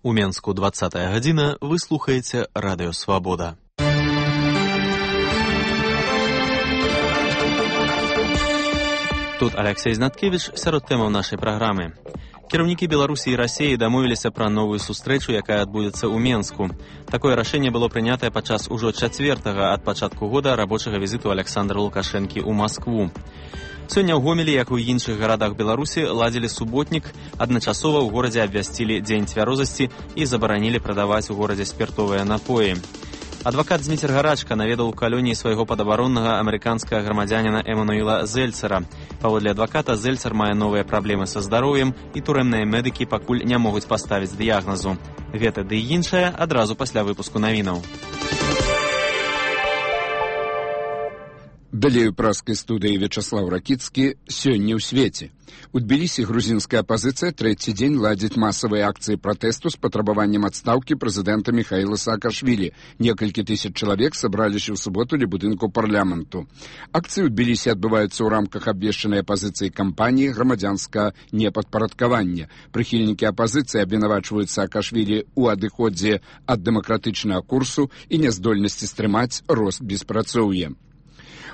У Менску 20-я гадзіна, вы слухаеце Радыё Свабода. Тут Алексей Знаткевич сярод тэмаў нашай праграмы. Кіраўнікі Беларусі і Расіі дамовіліся пра новую сустрэчу, якая адбудзецца ў Менску. Такое рашэнне было прынятае падчас ужо 4-га ад пачатку года рабочага візіту Александра Лукашэнкі ў Маскву. Сёння ў Гомелі, як і ў іншых гарадах Беларусі, ладзілі суботнік, адначасова ў горадзе абвясцілі дзень цвярозасці і забаранілі прадаваць у горадзе спіртовыя напоі. Адвакат Зміцер Гарачка наведаў у калоніі свайго падабароннага амерыканскага грамадзяніна Эмануэла Зельцера. Паводле адваката, Зельцер мае новыя праблемы са здароўем, і турэмныя медыкі пакуль не могуць паставіць дыягназу. Гэта ды і іншае адразу пасля выпуску навінаў. Далей у праскай студыі Вячаслав Ракіцкі сёння ў свеце. У Тбілісі грузінская апазіцыя трэці дзень ладзіць масавыя акцыі пратэсту з патрабаваннем адстаўкі прэзідэнта Міхаіла Саакашвілі. Некалькі тысяч чалавек сабраліся ў суботу ля будынку парламенту. Акцыі ў Тбілісі адбываюцца ў рамках абвешчанай апазіцыі кампаніі грамадзянскага непадпарадкавання. Прыхільнікі апазіцыі абвінавачваюць Саакашвілі ў адыходзе ад дэмакратычнага курсу і няздольнасці стрымаць рост беспрацоўя.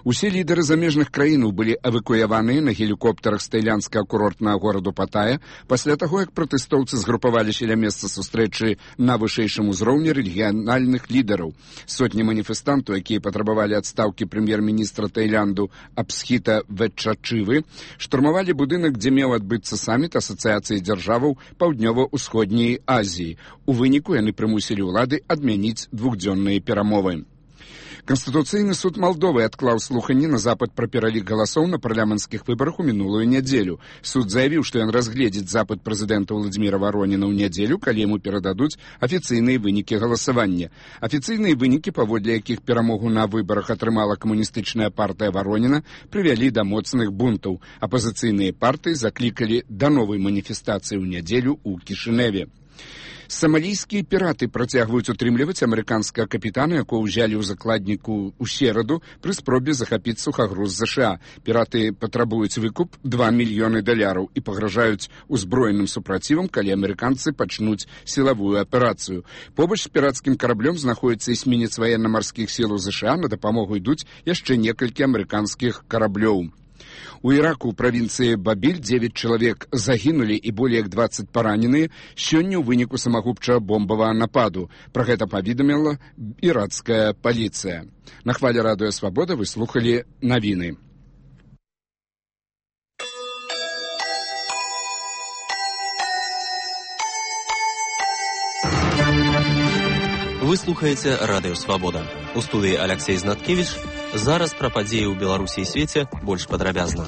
Усе лідары замежных краінаў былі эвакуяваныя на гелікоптарах з таіландскага курортнага гораду Паттая пасля таго, як пратэстоўцы згрупаваліся ля месца сустрэчы на вышэйшым узроўні рэгіянальных лідараў. Сотні маніфестантаў, якія патрабавалі адстаўкі прэм'ер-міністра Таіланду Апсхіта Ветчачывы, штурмавалі будынак, дзе меў адбыцца саміт Асацыяцыі дзяржаваў Паўднёва-ўсходняй Азіі. У выніку яны прымусілі ўлады адмяніць двухдзённыя перамовы. Канстытуцыйны суд Малдовы адклаў слуханні на запыт пра пералік галасоў на парламенцкіх выбарах у мінулую нядзелю. Суд заявіў, што ён разгледзіць запыт прэзідэнта Владзіміра Вароніна ў нядзелю, калі яму перададуць афіцыйныя вынікі галасавання. Афіцыйныя вынікі, паводле якіх перамогу на выбарах атрымала камуністычная партыя Вароніна, прывялі да моцных бунтаў. Апазіцыйныя партыі заклікалі да новай маніфестацыі ў нядзелю ў Кішыневе. Самалійскія піраты працягваюць утрымліваць амерыканскага капітана, якого ўзялі ў закладніку ў сераду пры спробе захапіць сухагруз ЗША. Піраты патрабуюць выкуп $2 мільёны і пагражаюць узброеным супрацівам, калі амерыканцы пачнуць сілавую аперацыю. Побач з пірацкім караблём знаходзіцца эсмінец ваенна-марскіх сілаў ЗША, на дапамогу ідуць яшчэ некалькі амерыканскіх караблёў. У Іраку ў правінцыі Бабіль 9 чалавек загінулі і болей як 20 параненыя сёння ў выніку самагубчага бомбавага нападу. Пра гэта паведаміла іракская паліцыя. На хвале Радыё Свабода вы слухалі навіны. Вы слухаеце Радыё Свабода. У студыі Алексей Знаткевич. Зараз пра падзеі ў Беларусі і свеце больш падрабязна.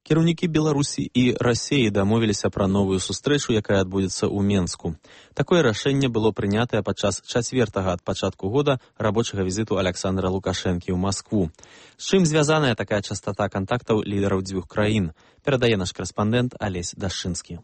Кіраўнікі Беларусі і Расіі дамовіліся пра новую сустрэчу, якая адбудзецца ў Менску. Такое рашэнне было прынятае падчас 4-га ад пачатку года рабочага візіту Александра Лукашэнкі ў Маскву. З чым звязаная такая частата кантактаў лідараў дзвюх краін, перадае наш карэспандэнт Алесь Дашчынскі.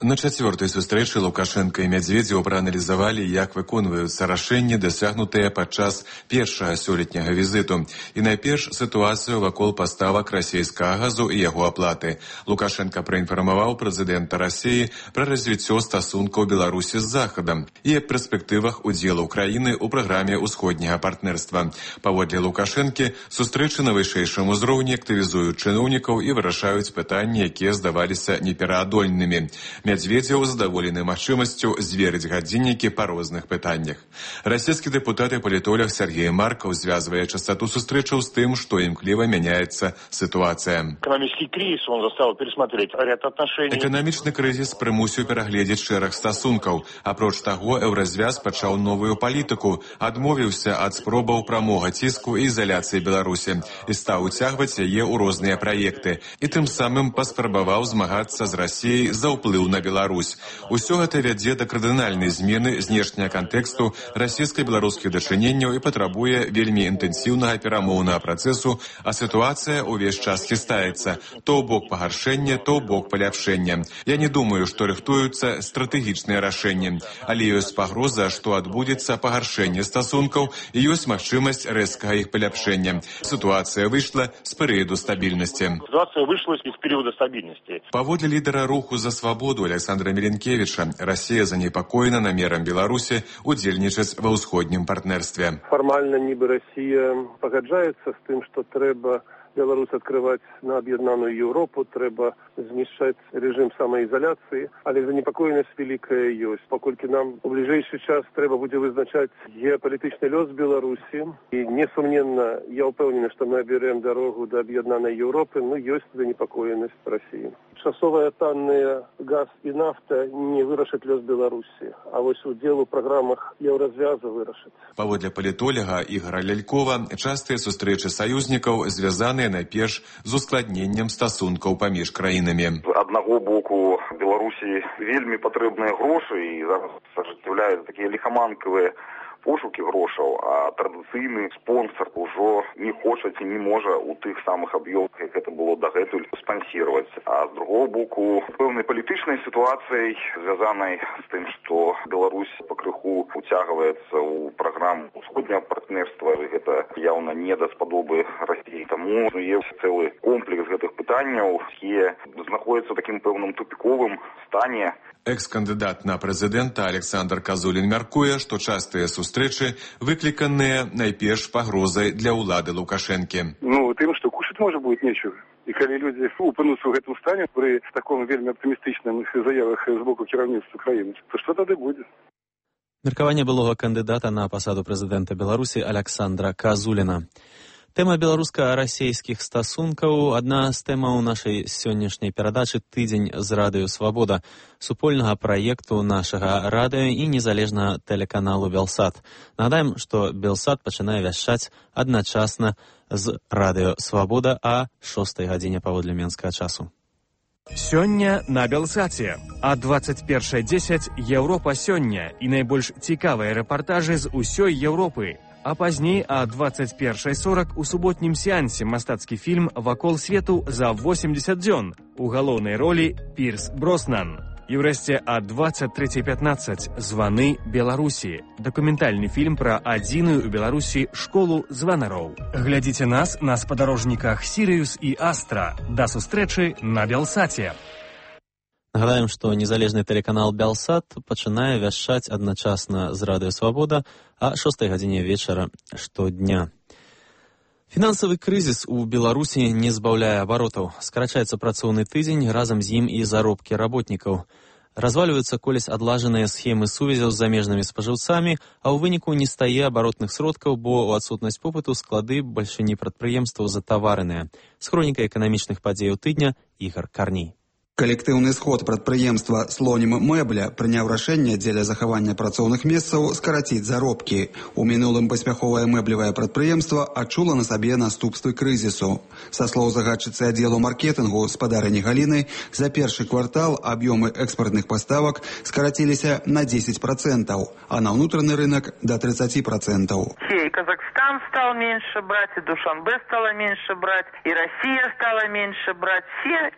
На 4-й сустрэчы Лукашенка і Мядзведзеў прааналізавалі, як выконваюцца рашэнні, дасягнутыя падчас першага сёлетняга візіту. І найперш сітуацыю вакол паставак расійскага газу і яго аплаты. Лукашенка праінфармаваў прэзідэнта Расіі пра развіццё стасункаў Беларусі з Захадам і перспектывах удзелу краіны ў праграме ўсходняга партнерства. Паводле Лукашэнкі, сустрэчы на вышэйшым узроўні актывізуюць чыноўнікаў і вырашаюць пытанні, якія здаваліся непераадольнымі. Мядзведзеў задаволены магчымасцю зверыць гадзіннікі па розных пытаннях. Расійскі дэпутат і палітолог Сергей Маркаў звязвае частоту сустрэчаў з тым, што імкліва мяняецца сітуацыя. Эканамічны крызіс прымусіў перагледзець шэраг стасункаў. Апроч таго, еўразвяз пачаў новую палітыку, адмовіўся ад спробаў прамога ціску і ізаляцыі Беларусі і стаў уцягваць яе ў розныя праекты. І тым самым паспрабаваў змагацца з Расіяй за ўплыў на Беларусь. Усё гэта вядзе да кардынальнай змены знешняга кантэксту расійска-беларускіх дачыненняў і патрабуе вельмі інтэнсіўнага перамоўнага працэсу, а сітуацыя ўвесь час хістаецца. То ў бок пагаршэння, то ў бок паляпшэння. Я не думаю, што рыхтуюцца стратэгічныя рашэнні, але ёсць пагроза, што адбудзецца пагаршэнне стасункаў і ёсць магчымасць рэзкага іх паляпшэння. Ситуация вышла с периода стабильности. Ситуация вышла из периода стабильности. Паводле лидера руху за свободу Александра Миленкевича, Россия занепокоена намером Беларуси удзельнічаць ва ўсходнім партнерстве. Формально нібы Россия пагаджаецца з тым, што трэба Беларусь открывать на об'єднану Європу, треба знішчаць режим самоизоляции, але занепокоенность великая ёсць. Паколькі нам у ближайший час трэба будзе вызначаць геополітычны лёс Беларусі, і несумненно, я упэўнены, што мы аберем дорогу до об'єднаної Європи, но ёсць занепокоенность России. Часовая танная газ і нафта не вырашыць лёс Беларусі, а вось удзел у праграмах Еўразвяза вырашыць. Паводле палітолага Ігора Лялькова, частыя сустрэчы саюзнікаў звязаныя найперш з ускладненнем стасункаў паміж краінамі. З аднаго боку Беларусі вельмі патрэбныя грошы і зараз ажыццяўляюць такія ліхаманкавыя пошукі грошаў, а традыцыйны спонсор ўжо не хоча ці не можа у тых самых аб'ёмах, як гэта было дагэтуль, спансіраваць. А з другого боку, пэўнай палітычнай сітуацыяй, звязанай з тым, што Беларусь пакрыху уцягваецца ў праграму ўсходняга партнерства, гэта яўна не даспадобы Расіі. Таму ёсць цэлы комплекс гэтых пытанняў, якія знаходзяцца ў такім пэўным тупіковым стане. Экс-кандыдат на прэзідэнта Александр Казулін мяркуе, што частыя сустрэчы выкліканыя найперш пагрозай для ўлады Лукашэнкі. Тым, што кушаць можа будет нечего. І калі людзі упынуцца ў гэтым стане пры таком вельмі аптымістычным заявах з боку кіраўніцтва краіны, то што тады будзе? Меркаванне былога кандыдата на пасаду прэзідэнта Беларусі Александра Казуліна. Тэма беларуска-расейскіх стасункаў – адна з тэмаў нашай сённяшняй перадачы «Тыдзень з радыё Свабода», супольнага праекту нашага радыё і незалежнага тэлеканалу «Белсат». Нагадаем, што «Белсат» пачынае вяшчаць адначасна з радыё Свабода а 6 гадзіне паводле менскага часу. Сёння на Белсаце. А 21:10 Еўропа сёння і найбольш цікавыя рэпартажы з усёй Еўропы. А пазней а 21:40 у суботнім сеансе мастацкі фільм «Вакол свету за 80 дзён». У галоўнай ролі Пірс Броснан. І ўрэшце а 23:15 «Званы Беларусі». Дакументальны фільм пра адзіную ў Беларусі школу званароў. Глядзіце нас на спадарожніках «Сірыюс» і «Астра». Да сустрэчы на Белсаце. Нагадаем, што незалежны тэлеканал «Белсат» пачынае вяшчаць адначасна з радыё «Свабода» а 6 гадзіне вечара штодня. Фінансавы крызіс у Беларусі не збаўляе абаротаў. Скарачаецца працоўны тыдзень, разам з ім і заробкі работнікаў. Развальваюцца колісь адлажаныя схемы сувязяў з замежнымі спажыўцамі, а ў выніку не стае абаротных сродкаў, бо ў адсутнасць попыту склады бальшыні прадпрыемстваў затаварэныя. З хронікай эканамічных падзеяў тыдня Ігар Карней. Калектыўны сход прадпрыемства «Слонім мэбля» прыняў рашэнне дзеля захавання працоўных месцаў скараціць заробкі. У мінулым паспяховае мэблевае прадпрыемства адчула на сабе наступствы крызісу. Са слоў загадчыцы аддзелу маркетынгу спадарыні Галіны, за першы квартал аб'ёмы экспартных паставак скараціліся на 10%, а на ўнутраны рынок до 30%. И Казахстан стал меньше брать, и Душанбе стало меньше брать, и Россия стала меньше брать. Все,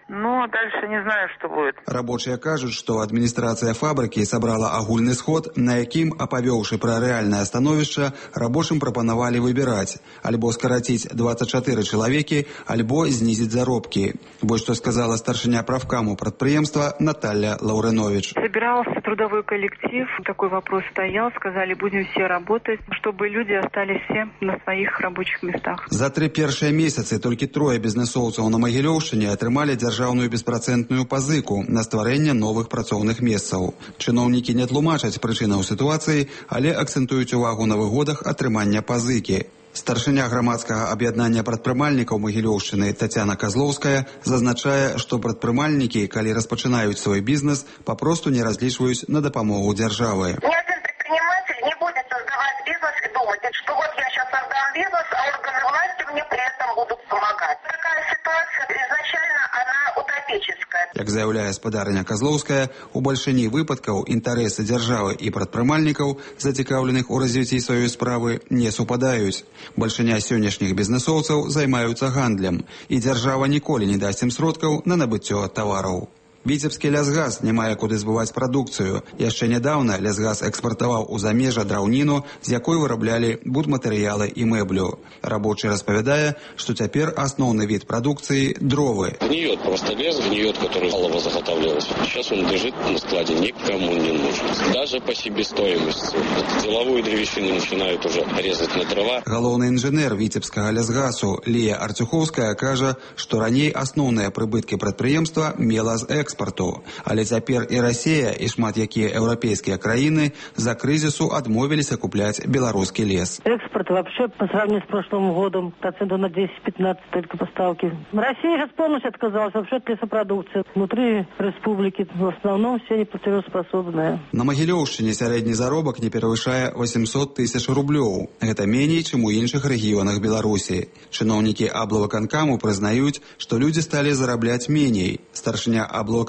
дальше не знаю, что будет. Рабочие кажуць, што адміністрацыя фабрыкі сабрала агульны сход, на якім, апавёўшы пра рэальнае становішча, рабочым прапанавалі выбіраць альбо скараціць 24 чалавекі, альбо знізіць заробкі. Вось што сказала старшыня правкаму прадпрыемства Наталья Лаўрэнович. Собирался трудовой коллектив, такой вопрос стоял, сказали, будем все работать, чтобы люди остались все на своих рабочих местах. За 3 першыя месяцы толькі 3 бізнесоўцаў на Магілёўшчыне атрымалі дзяржаўную беспрацэнтную пазыку на стварэнне новых працоўных месцаў. Чыноўнікі не тлумачаць прычынаў сітуацыі, але акцэнтуюць увагу на выгодах атрымання пазыкі. Старшыня грамадскага аб'яднання прадпрымальнікаў Магілёўшчыны Тацяна Казлоўская зазначае, што прадпрымальнікі, калі распачынаюць свой бізнес, папросту не разлічваюць на дапамогу дзяржавы. Ни один предприниматель не будет создавать бизнес и думать, что вот я сейчас создам бизнес, а органы власти мне при этом будут помогать. Такая ситуация изначально, она утопическая. Як Як заяўляе спадарня Казлоўская, у бальшыні выпадкаў інтарэсы дзяржавы і прадпрымальнікаў, зацікаўленых у развіцці сваёй справы, не супадаюць. Бальшыня сённяшніх бізнесоўцаў займаюцца гандлем, і дзяржава ніколі не дасць ім сродкаў на набыццё тавараў. Віцебскі лясгаз не мае куды збываць прадукцыю. Яшчэ нядаўна лясгаз экспартаваў у замежжа драўніну, з якой выраблялі будматэрыялы і мэблю. Рабочий распавядае, што цяпер асноўны від прадукцыі – дровы. Гниет просто лес, гниет, который мало заготавливался. Сейчас он лежит на складе, никому не нужен. Даже по себестоимости. Деловую древесину начинают уже резать на дрова. Галоўны інжынер Віцебскага лясгазу Лія Арцюховская кажа, што раней асноўныя прыбыткі прадпрыемства мела з экспарту. Але цяпер і Расія, і шмат якія еўрапейскія краіны за крызісу адмовіліся купляць беларускі лес. Экспорт вообще по сравнению с прошлым годом процентов на 10-15 только поставки. Россия сейчас полностью отказалась вообще от лесопродукции. Внутри республики в основном все неплатежеспособные. На Магілёўшчыне сярэдні заробак не перавышае 800 тысяч рублёў. Гэта меней, чым у іншых рэгіёнах Беларусі. Чыноўнікі аблвыканкаму прызнаюць, што людзі сталі зарабляць меней. Старшыня аблвыканкаму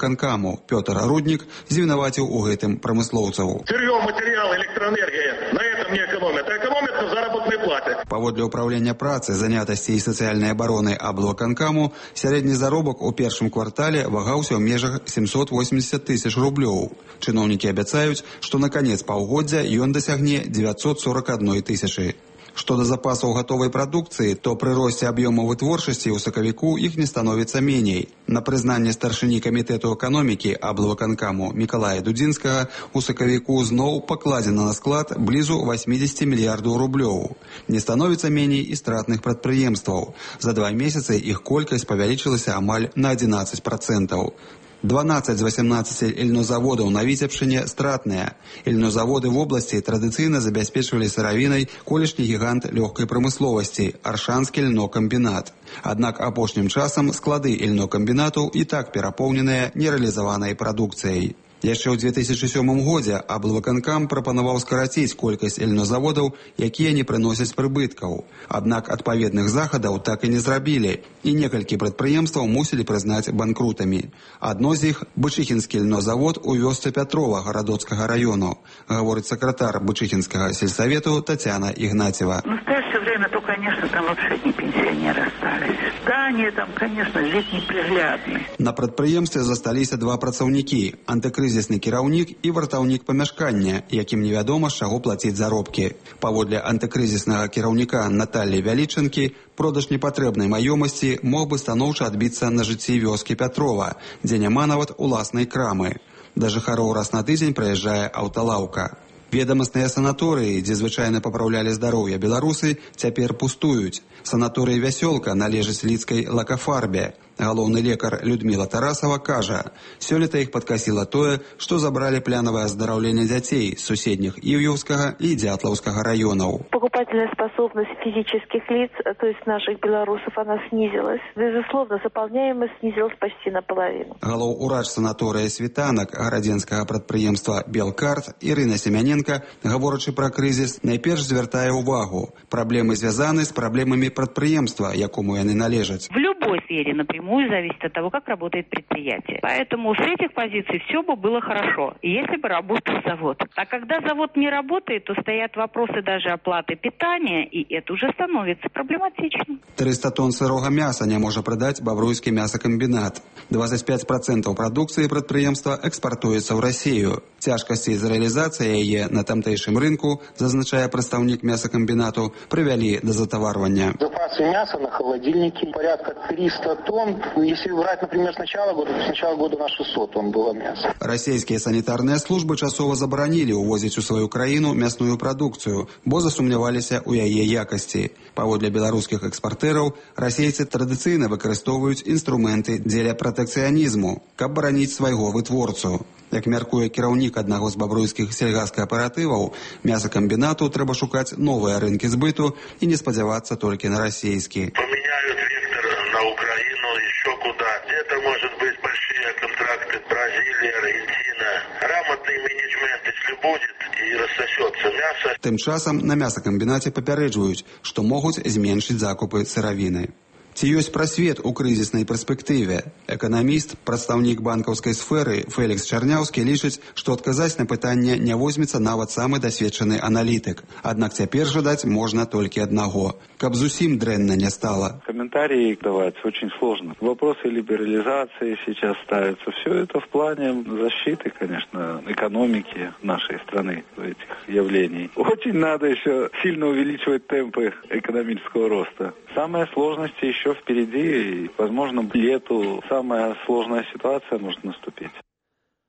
Пётр Руднік звінаваціў у гэтым прамыслоўцаў. Сырье, материал, электроэнергия на этом не экономят, а экономят на заработной плате. Паводле ўправлення працы, занятасці і сацыяльнай абароны аблвыканкаму, сярэдні заробак у першым квартале вагаўся ў межах 780 тысяч рублёў. Чыноўнікі абяцаюць, што на канец паўгоддзя ён дасягне 941 тысячы. Што да запасаў гатовай прадукцыі, то пры росце аб'ёмаў вытворчасці ў сакавіку іх не становіцца меней. На прызнанне старшыні камітэту эканомікі аблвыканкаму Мікалая Дудзінскага у сакавіку зноў пакладзена на склад блізу 80 мільярдаў рублёў. Не становіцца меней і стратных прадпрыемстваў. За 2 месяцы іх колькасць павялічылася амаль на 11%. 12 з 18 ільнозаводаў на Віцебшчыне стратныя. Ільнозаводы в обласці традыцыйна забяспечвалі сыравінай колішні гігант лёгкай прамысловасці – Аршанскі льнокамбінат. Аднак апошнім часам склады ільнокамбінату і так перапоўненыя нерэалізаванай прадукцыяй. Яшчэ ў 2007 годзе аблвыканкам прапанаваў скараціць колькасць ільнозаводаў, якія не прыносяць прыбыткаў. Аднак адпаведных захадаў так і не зрабілі, і некалькі прадпрыемстваў мусілі прызнаць банкрутамі. Адно з іх – Бычыхінскі ільнозавод у вёсцы Пятрова Гарадоцкага раёну, гаворыць сакратар Бычыхінскага сельсавету Татьяна Игнатьева. В настоящее время, то, конечно, там вообще одни пенсионеры остались. Здания там, конечно, вид неприглядный. На прадпрыемстве засталіся 2 працаўнікі – антыкрызісны кіраўнік і вартаўнік памяшкання, якім невядома, з чаго плаціць заробкі. Паводле антыкрызіснага кіраўніка Наталлі Вялічынкі, продаж непатрэбнай маёмасці мог бы станоўча адбіцца на жыцці вёскі Пятрова, дзе няма нават уласнай крамы. Да жыхароў раз на тыдзень прыязджае аўталаўка. Ведамасныя санаторыі, дзе звычайна папраўлялі здароўе беларусы, цяпер пустуюць. Санаторый «Вясёлка» належыць лідскай лакафарбе. Галоўны лекар Людмила Тарасова кажа, сёлета іх падкасіла тое, што забралі планавае аздараўленне дзяцей з суседніх Івьеўскага і Дятлаўскага раёнаў. Покупательная способность физических лиц, то есть наших белорусов, она снизилась. Безусловно, заполняемость снизилась почти наполовину. Галоўурач санаторыя «Світанак» гарадзенскага прадпрыемства «Белкарт» Ірына Семяненка, гаворачы пра крызіс, найперш звяртае ўвагу. Праблемы звязаны з праблемамі прадпрыемства, якому яны належаць. В любой сфере напрямую зависит от того, как работает предприятие. Поэтому с этих позиций все бы было хорошо, если бы работал завод. А когда завод не работает, то стоят вопросы даже оплаты питания, и это уже становится проблематичным. 300 тонн сырога мяса не можа прадаць Бабруйскі мясакамбінат. 25% прадукцыі прадпрыемства экспартуецца ў Расію. Цяжкасці з рэалізацыяй яе на тамтэйшым рынку, зазначае прадстаўнік мясакамбінату, прывялі да затаварвання. Запасы мяса на холодильнике порядка 300 тонн. Если брать, например, с начала года на 600 тонн было мяса. Расійскія санітарныя службы часова забаранілі ўвозіць у сваю краіну мясную прадукцыю, бо засумняваліся ў яе якасці. Паводле беларускіх экспартэраў, расейцы традыцыйна выкарыстоўваюць інструменты дзеля пратэкцыянізму, каб бараніць свайго вытворцу. Як мяркуе кіраўнік аднаго з бабруйскіх сельгаскааператываў, мясакамбінату трэба шукаць новыя рынкі збыту і не спадзявацца толькі на расійскі. Поменяют вектор на Украину, еще куда. Где-то, может быть, большие контракты Бразилия, Аргентина. Грамотный менеджмент, если будет, и рассосется мясо. Тым часам на мясакамбінаце папярэджваюць, што могуць зменшыць закупы сыравіны. Ці ёсць прасвет у крызіснай перспектыве? Эканаміст, прадстаўнік банкаўскай сферы Фелікс Чарняўскі лічыць, што адказаць на пытанне не возьмецца нават самы дасведчаны аналітык. Аднак цяпер жадаць можна толькі аднаго. Каб зусім дрэнна не стало. Комментарии давать очень сложно. Вопросы либерализации сейчас ставятся. Все это в плане защиты, конечно, экономики нашей страны, этих явлений. Очень надо еще сильно увеличивать темпы экономического роста. Самая сложность еще впереди, и, возможно, к лету самая сложная ситуация может наступить.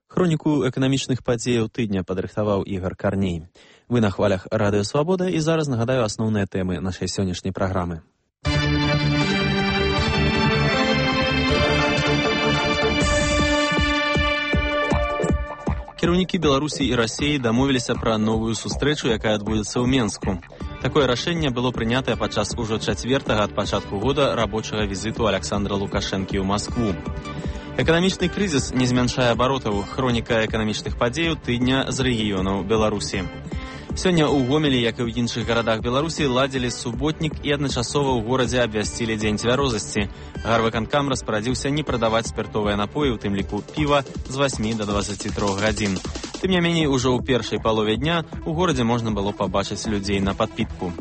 Хроніку эканамічных падзеяў тыдня падрыхтаваў Ігор Карней. Вы на хвалях Радыё Свабода, і зараз нагадаю асноўныя тэмы нашай сённяшняй праграмы. Кіраўнікі Беларусі і Расіі дамовіліся пра новую сустрэчу, якая адбудзецца ў Менску. Такое рашэнне было прынятае падчас ужо 4-га ад пачатку года рабочага візіту Александра Лукашэнкі ў Маскву. Эканамічны крызіс не змяншае абаротаў. Хроніка эканамічных падзеяў тыдня з рэгіёнаў Беларусі. Сёння ў Гомелі, як і ў іншых гарадах Беларусі, ладзілі суботнік і адначасова ў горадзе абвясцілі дзень цвярозасці. Гарвыканкам распарадзіўся не прадаваць спіртовыя напоі, у тым ліку піва, з 8 до 23 гадзін. Тым не меней, ужо ў першай палове дня у горадзе можна было пабачыць людзей на падпітку.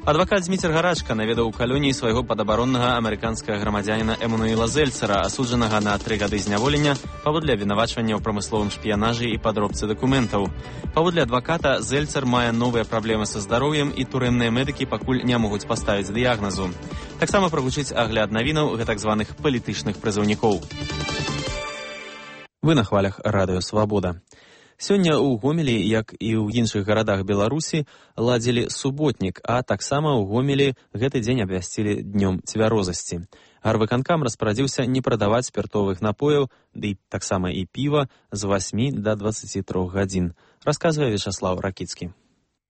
Адвакат Зміцер Гарачка наведаў у калоніі свайго падабароннага амерыканскага грамадзяніна Эмануэла Зельцера, асуджанага на 3 гады зняволення паводле абвінавачвання ў прамысловым шпіянажы і падробцы дакументаў. Паводле адваката, Зельцер мае новыя праблемы са здароўем, і турэмныя медыкі пакуль не могуць паставіць дыягназу. Таксама прагучыць агляд навінаў гэтак званых палітычных прызыўнікоў. Вы на хвалях Радыё Свабода. Сёння ў Гомелі, як і ў іншых гарадах Беларусі, ладзілі суботнік, а таксама ў Гомелі гэты дзень абвясцілі днём цвярозасці. Гарвыканкам распарадзіўся не прадаваць спіртовых напояў, ды таксама і піва з 8 до 23 гадзін, расказвае Вячаслав Ракіцкі.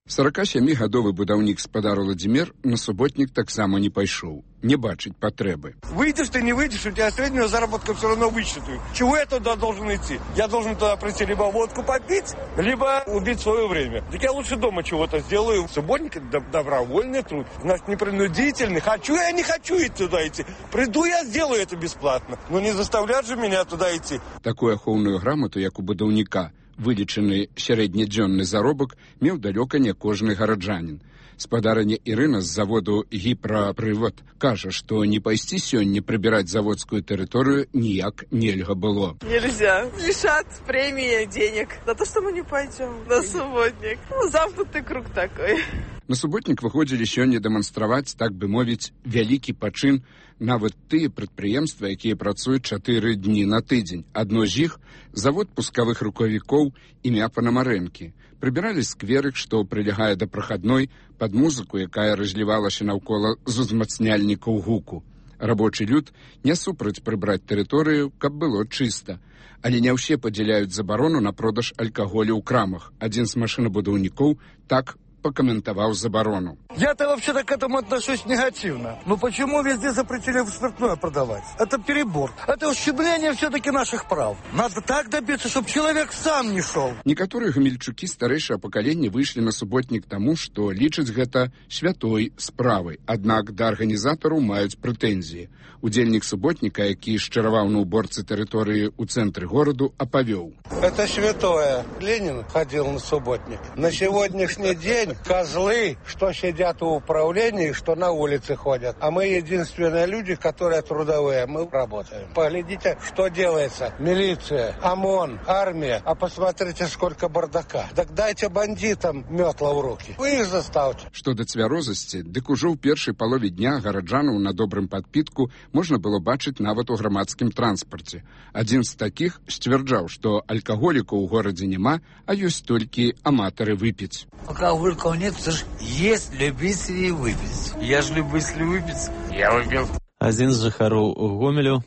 47-гадовы будаўнік спадар Владзімир на суботнік таксама не пайшоў. Не бачыць патрэбы. Выйдешь ты, не выйдешь, у тебя среднюю заработку все равно высчитают. Чего я туда должен идти? Я должен туда прийти либо водку попить, либо убить свое время. Так я лучше дома чего-то сделаю. Субботник – это добровольный труд. Значит, непринудительный. Хочу я, не хочу туда идти. Приду я, сделаю это бесплатно. Но не заставлять же меня туда идти. Такую ахоўную грамоту, як у будаўніка, вылічаны сярэднядзённы заробак, меў далёка не кожны гараджанін. Спадарыня Ірына з заводу «Гіпрапрывод» кажа, што не пайсці сёння прыбіраць заводскую тэрыторыю ніяк нельга было. Нельзя. Лишат премии денег за то, что мы не пойдем на субботник. Замкнутый круг такой. На суботнік выходзілі сёння дэманстраваць, так бы мовіць, вялікі пачын нават тыя прадпрыемствы, якія працуюць 4 дні на тыдзень. Адно з іх – завод пускавых рукавікоў імя Панамарэнкі. Прыбіралі скверык, што прылягае да прахадной, пад музыку, якая разлівалася наўкола з узмацняльнікаў гуку. Рабочы люд не супраць прыбраць тэрыторыю, каб было чыста. Але не ўсе падзяляюць забарону на продаж алкаголю ў крамах. Адзін з машынабудаўнікоў так покомментовал заборону. Я-то вообще-то к этому отношусь негативно. Но почему везде запретили спиртное продавать? Это перебор. Это ущемление все-таки наших прав. Надо так добиться, чтобы человек сам не шел. Некоторые гамельчукі старэйшага пакалення выйшлі на суботнік таму, што лічаць гэта святой справай. Аднак да арганізатараў маюць прэтэнзіі. Удзельнік суботніка, які шчараваў на уборцы тэрыторыі ў цэнтры гораду, апавёў. Это святое. Ленин ходил на субботник. На сегодняшний день козлы, что сидят в управлении, что на улице ходят. А мы единственные люди, которые трудовые. Мы работаем. Поглядите, что делается. Милиция, ОМОН, армия. А посмотрите, сколько бардака. Так дайте бандитам метла в руки. Вы их заставьте. Што да цвярозасці, дык ужо ў першай палове дня гараджанаў на добрым падпітку можна было бачыць нават у грамадскім транспарце. Адзін з такіх сцвярджаў, што алкаголікаў у горадзе няма, а ёсць толькі аматары выпіць. Алкоголиков нет, потому что есть любители выпить. Я же любитель выпить. Я выпил. Адзін з жыхароў Гомелю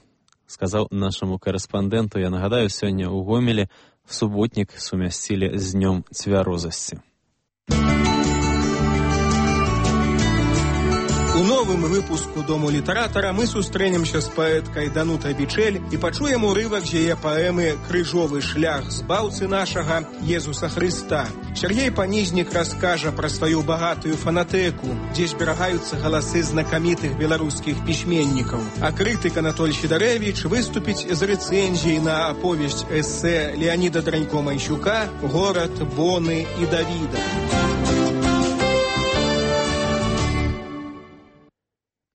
сказаў нашаму корэспандэнту, я нагадаю, сёння ў Гомелі в суботнік сумясцілі з днём цвярозасці. У новых новым выпуску «Дому літаратара» мы сустрэнемся з паэткай Данутай Бичель і пачуем урывак з яе паэмы «Крыжовы шлях збаўцы нашага Езуса Хрыста». Сергей Панізнік раскажа пра сваю багатую фанатэку, дзе зберагаюцца галасы знакамітых беларускіх пісьменнікаў. А крытык Анатоль Сідарэвіч выступіць з рэцэнзіяй на аповесць эсэ Леаніда Дранько-Майсюка «Горад, Боны і Давіда».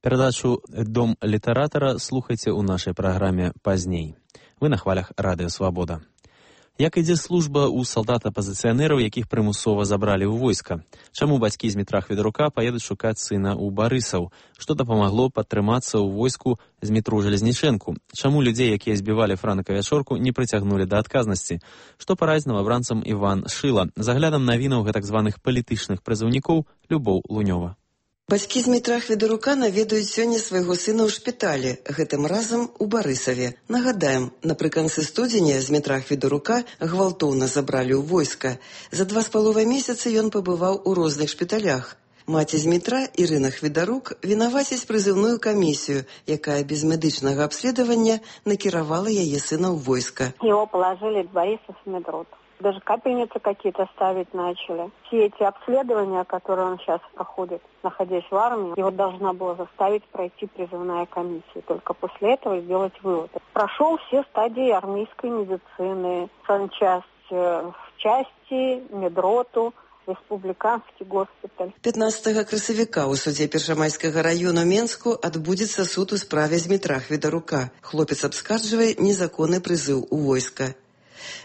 Перадачу «Дом літаратара» слухайце ў нашай праграме пазней. Вы на хвалях Радыё Свабода. Як ідзе служба ў салдат-апазіцыянераў, якіх прымусова забралі ў войска? Чаму бацькі з Дмітра Хведарука паедуць шукаць сына ў Барысаў? Што дапамагло падтрымацца ў войску Змітру Жалезнічэнку? Чаму людзей, якія збівалі Франака Вячорку, не прыцягнулі да адказнасці? Што параіць новабранцам Іван Шыла? За аглядам навінаў гэтак званых палітычных прызыўнікоў Любоў Лунёва. Бацькі з Дмітра Хведарука наведаюць сёння свайго сына ў шпіталі, гэтым разам у Барысаве. Нагадаем, напрыканцы студзеня з Дмітра Хведарука гвалтоўна забралі ў войска. За 2,5 месяцы ён пабываў у розных шпіталях. Маці Змітра, Ірына Хведарук, вінаваціць прызыўную камісію, якая без медычнага абследавання накіравала яе сына ў войска. Его положили в Борисов медрот. Даже капельницы какие-то ставить начали. Все эти обследования, которые он сейчас проходит, находясь в армии, его должна была заставить пройти призывная комиссия. Только после этого сделать вывод. Прошел все стадии армейской медицины, санчасть в части, медроту, Республиканский госпиталь. 15 красавіка ў судзе Першамайскага району Менску адбудзецца суд у справе Змітра Хведарука. Хлопец абскарджвае незаконны прызыў у войска.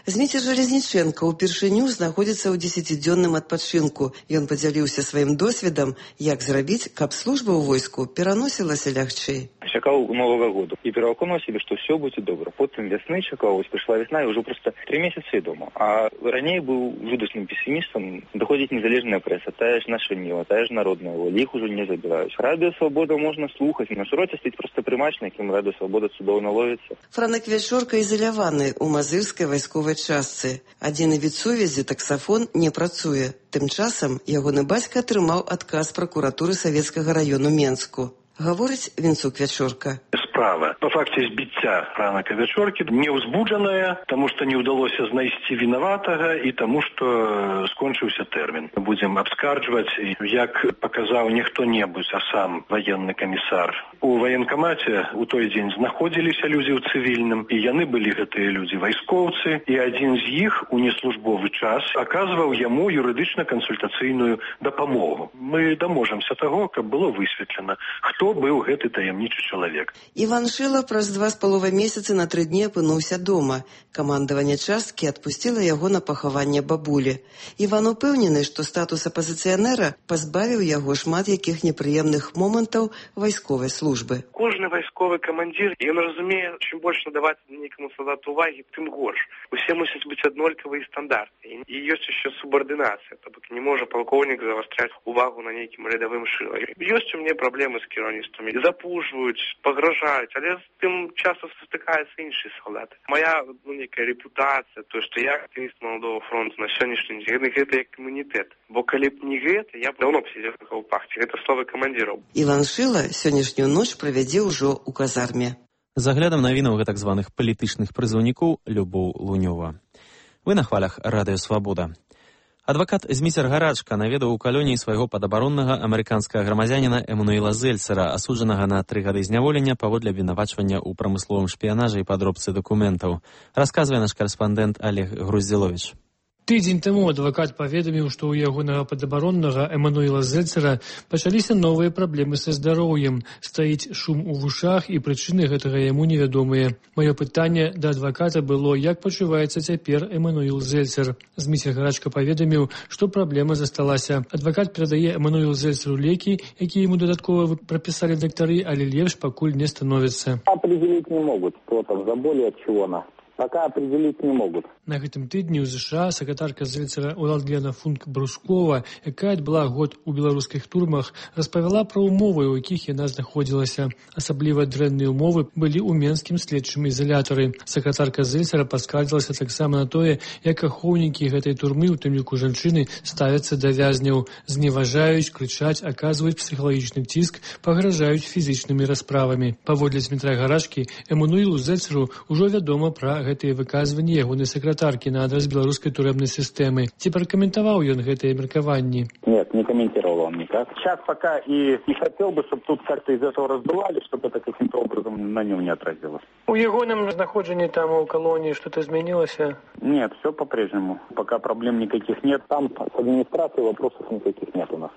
Зміцер Жалезнічэнка ўпершыню знаходзіцца ў 10-дзённым адпачынку. Ён падзяліўся сваім досведам, як зрабіць, каб служба ў войску пераносілася лягчэй. Чакаў Новага году і пераконаў себе, што все будзе добра. Потым вясны чакаў, прыйшла вясна і ўжо проста 3 месяцы дома. А раней быў жудасным пессімістам. Даходзіць незалежная прэса, тая ж наша Ніва, тая ж народная воля, іх ужо не забіраюць. Радыё Свабода можна слухаць, на шыроце стаіць проста прымач, на якім Радыё Свабода цудоўна ловіцца. Франак Вячорка ізаляваны ў мазырскай вайсковай частцы. Адзіны від сувязі, таксафон, не працуе. Тым часам ягоны бацька атрымаў адказ пракуратуры Савецкага району Менску. Гаворыць Вінцук Вячорка. Справа по факце збіцця Франака Вячоркі не ўзбуджаная, таму што не ўдалося знайсці вінаватага і таму што скончыўся тэрмін. Будзем абскарджваць, як паказаў не хто-небудзь, а сам ваенны камісар. У ваенкамаце ў той дзень знаходзіліся людзі ў цывільным, і яны былі гэтыя людзі вайскоўцы, і адзін з іх у неслужбовы час аказваў яму юрыдычна-кансультацыйную дапамогу. Мы даможамся таго, каб было высветлена, хто быў гэты таямнічы чалавек. Іван Шыла праз 2,5 месяцы на 3 дні апынуўся дома. Камандаванне часткі адпусціла яго на пахаванне бабулі. Іван упэўнены, што статус апазіцыянера пазбавіў яго шмат якіх непрыемных момантаў вайсковай службы. Кожны вайсковы камандзір, ён разумее, чым больш надаваць нейкаму салдату увагі, тым горш. Усе мусяць быць аднолькавыя стандарты. І ёсць яшчэ субардынацыя, то бок не можа палкоўнік завастраць увагу на нейкім рядавым Шыла. Ёсць у мяне праблемы з кіраўніцтвамі. Запужваюць, пагражаюць, але з тым часам сутыкаюцца іншыя салдаты. Моя нейкая рэпутацыя, то, што я актывіст Маладога фронту на сённяшні дзень, гэта як імунітэт. Бо калі б не гэта, я б даўно б сидзеў на каўпахце. Гэта словы камандзіраў. Іван Шыла сённяшнюю ноч правядзе ўжо ў казарме. За аглядам навінаў гэтак званых палітычных прызыўнікоў Любоў Лунёва. Вы на хвалях Радыё Свабода. Адвакат Зміцер Гарачка наведаў у калоніі свайго падабароннага амерыканскага грамадзяніна Эмануэла Зельцера, асуджанага на 3 гады зняволення паводле абвінавачвання ў прамысловым шпіянажы і падробцы дакументаў. Расказвае наш карэспандэнт Олег Груздзіловіч. Тыдзень таму адвакат паведаміў, што ў ягонага падабароннага Эмануэла Зельцера пачаліся новыя праблемы са здароўем. Стаіць шум у вушах, і прычыны гэтага яму невядомыя. Маё пытанне да адваката было, як пачуваецца цяпер Эмануэл Зельцер. Зміцер Гарачка паведаміў, што праблема засталася. Адвакат перадае Эмануэлу Зельцеру лекі, якія яму дадаткова прапісалі дактары, але лепш пакуль не становіцца. Определить не могут, что там за боли, от чего она. пока определить не могут. На гэтым тыдні ў ЗША сакратарка Зельцера Уладлена Функ-Брускова, якая адбыла год у беларускіх турмах, распавяла пра ўмовы, у якіх яна знаходзілася. Асабліва дрэнныя ўмовы былі ў менскім следчым ізалятары. Сакратарка Зельцера паскардзілася таксама на тое, як ахоўнікі гэтай турмы, у тым ліку жанчыны, ставяцца да вязняў, зневажаюць, крычаць, аказваюць псіхалагічны ціск, пагражаюць фізічнымі расправамі. Паводле Дмітра Гарашкі, Эммануілу Зельцеру ўжо вядома пра гэтыя выказванні ягонай сакратаркі на адрас беларускай турэмнай сістэмы. Ці пракаментаваў ён гэтыя меркаванні? Нет, не комментировал он никак. Сейчас пока и не хотел бы, чтобы тут как-то из этого раздували, чтобы это каким-то образом на нем не отразилось. У ягоным знаходжанні там у колонии что-то изменилось? Нет, все по-прежнему. Пока проблем никаких нет. Там с администрацией вопросов никаких нет у нас.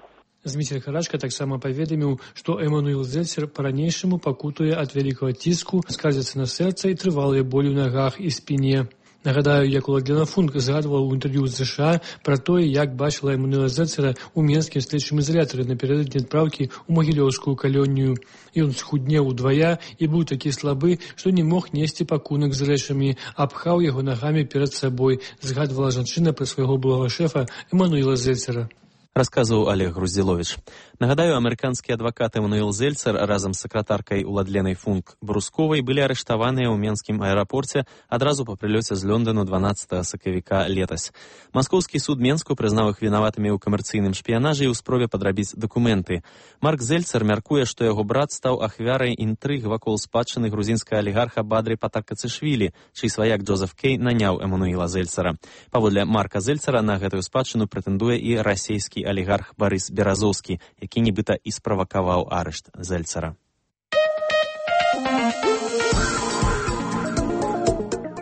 Дмітрий Гарашка таксама паведаміў, што Эммануіл Зельцер па-ранейшаму пакутуе ад вялікага ціску, скардзіцца на сэрца і трывалыя болі ў нагах і спіне. Нагадаю, як Уладлена Функ згадвала ў інтэрв'ю з ЗША пра тое, як бачыла Эммануіла Зельцера ў менскім следчым ізалятары напярэдадні адпраўкі ў магілёўскую калонію. Ён схуднеў удвая і быў такі слабы, што не мог несці пакунак з рэчамі, апхаў яго нагамі перад сабой, згадвала жанчына пра свайго былога шэфа Эммануіла Зельцера. Расказваў Олег Груздзіловіч. Нагадаю, амерыканскі адвакат Эммануіл Зельцер разам з сакратаркай Уладленай Функ-Брусковай былі арыштаваныя ў менскім аэрапорце адразу па прылёце з Лондану 12 сакавіка летась. Маскоўскі суд Менску прызнаў іх вінаватымі ў камерцыйным шпіянажы і ў спробе падрабіць дакументы. Марк Зельцер мяркуе, што яго брат стаў ахвярай інтрыг вакол спадчыны грузінскага алігарха Бадры Патакацышвілі, чый сваяк Джозеф Кей наняў Эммануіла Зельцера. Паводле Марка Зельцера на гэтую спадчыну прэтэндуе і расійскі алігарх Барыс Беразоўскі, які нібыта і справакаваў арышт Зельцера.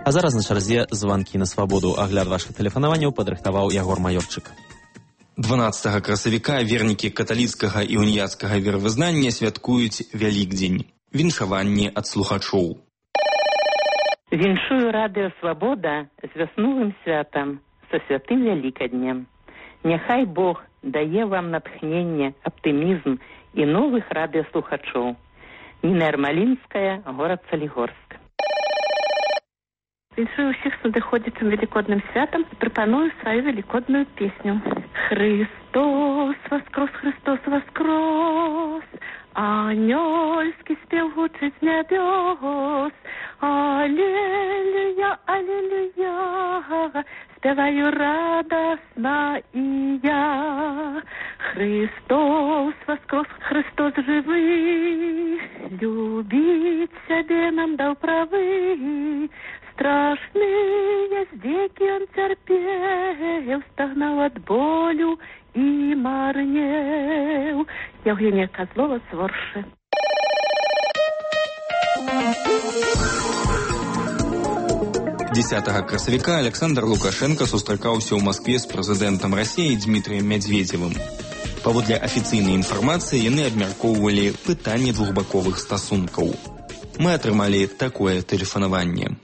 А зараз на чарзе званкі на свабоду. Агляд вашых тэлефанаванняў падрыхтаваў Ягор Маёрчык. 12 красавіка вернікі каталіцкага і уніяцкага веравызнання святкуюць Вялікдзень. Віншаванні ад слухачоў. Віншую радыё «Свабода» з вясновым святам, са святым Вялікаднем. Няхай Бог дае вам натхненне, аптымізм і новых радыёслухачоў. Ніна Ярмалінская, горад Салігорск. Віншую ўсіх з надыходзячым велікодным святам і прапаную сваю велікодную песню. Христос воскрос, Христос воскрос, анёльскі спеў гучыць з нябёс. Аллилуйя, аллилуйя, спяваю радостно и я. Христос воскрос, Христос живый, любить себе нам дал правы. Страшные здеки он терпел, стогнал от болю и марнел. Евгения Козлова, Сворши. 10 красавіка Александр Лукашенко сустракаўся ў Маскве з прэзідэнтам Расіі Дмітрыем Мядзведзевым. Паводле афіцыйнай інфармацыі яны абмяркоўвалі пытанне двухбаковых стасункаў. Мы атрымалі такое тэлефанаванне.